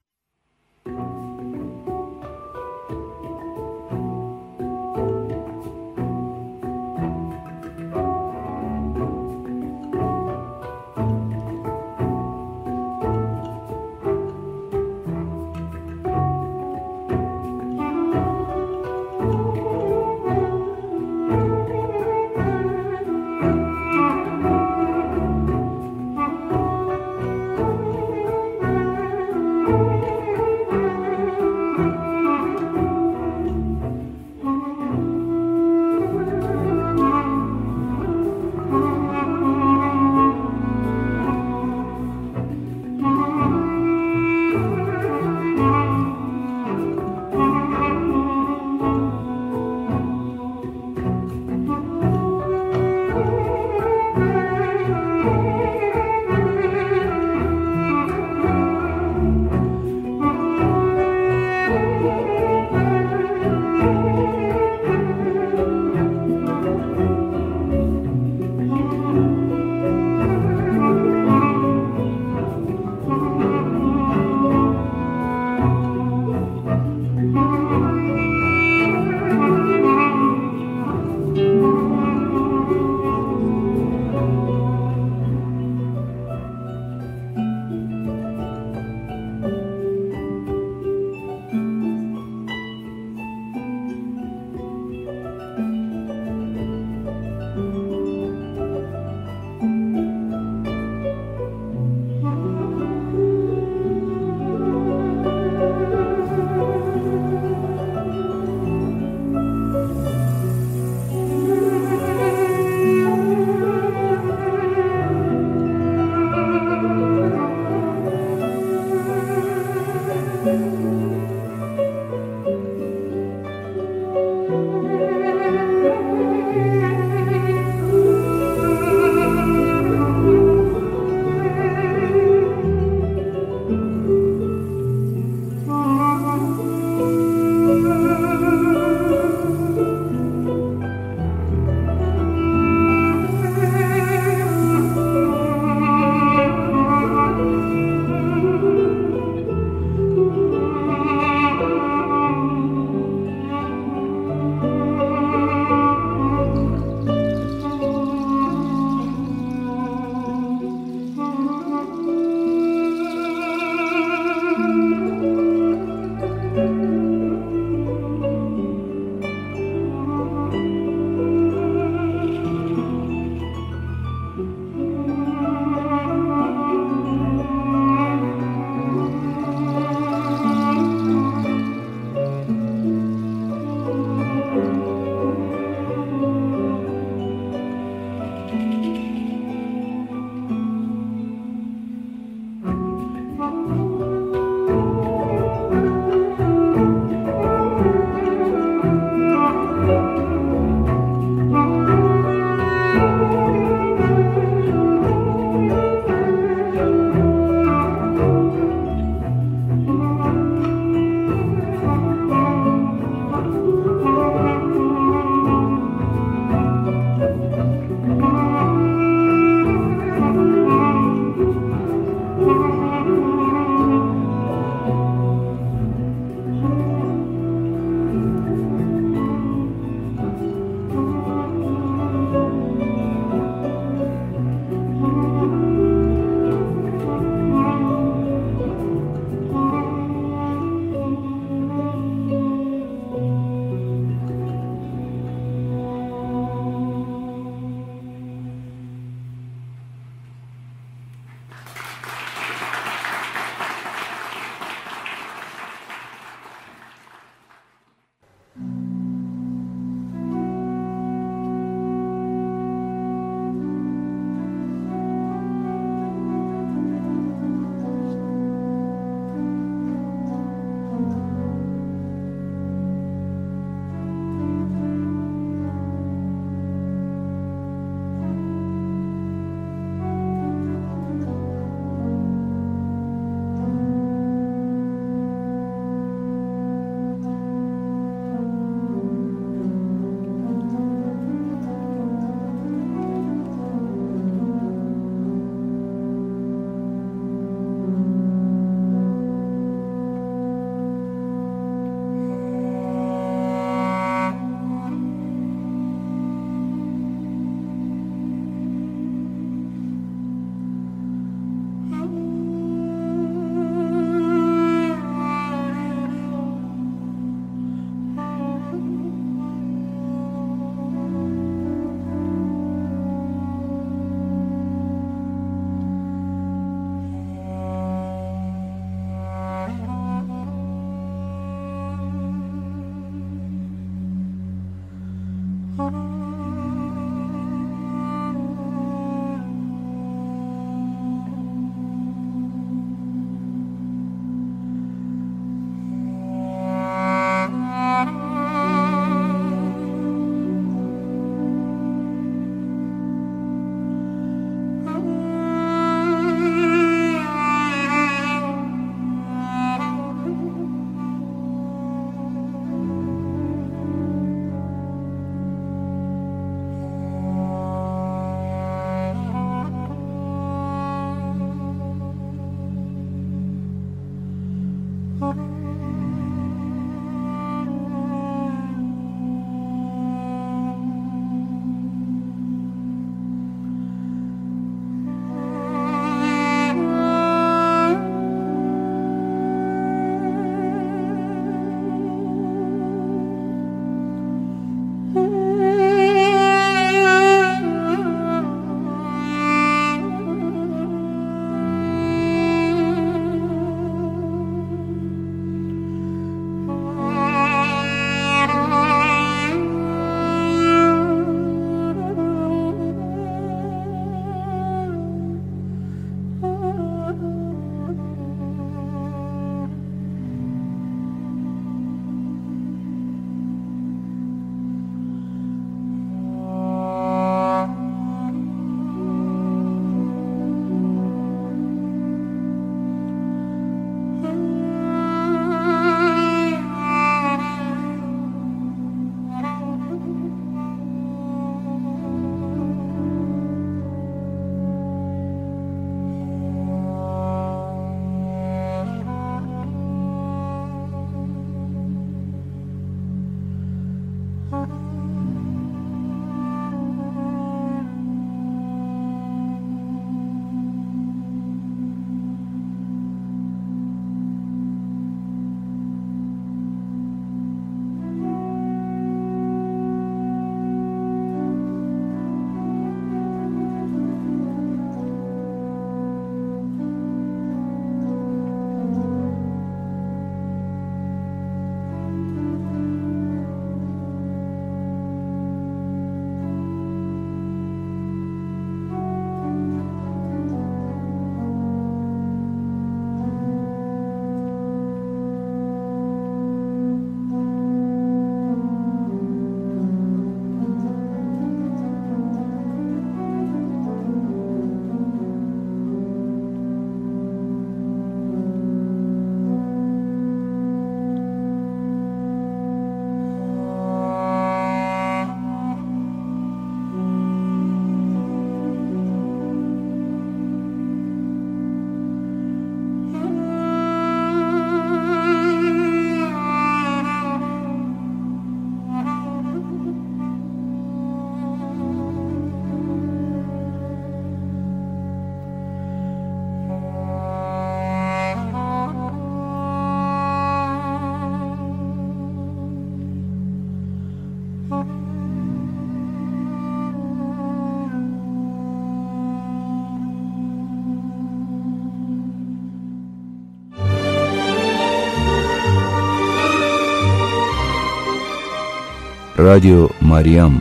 Ռադիո Մարիամ,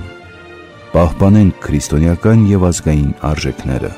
պահպանենք քրիստոնեական եւ ազգային արժեքները։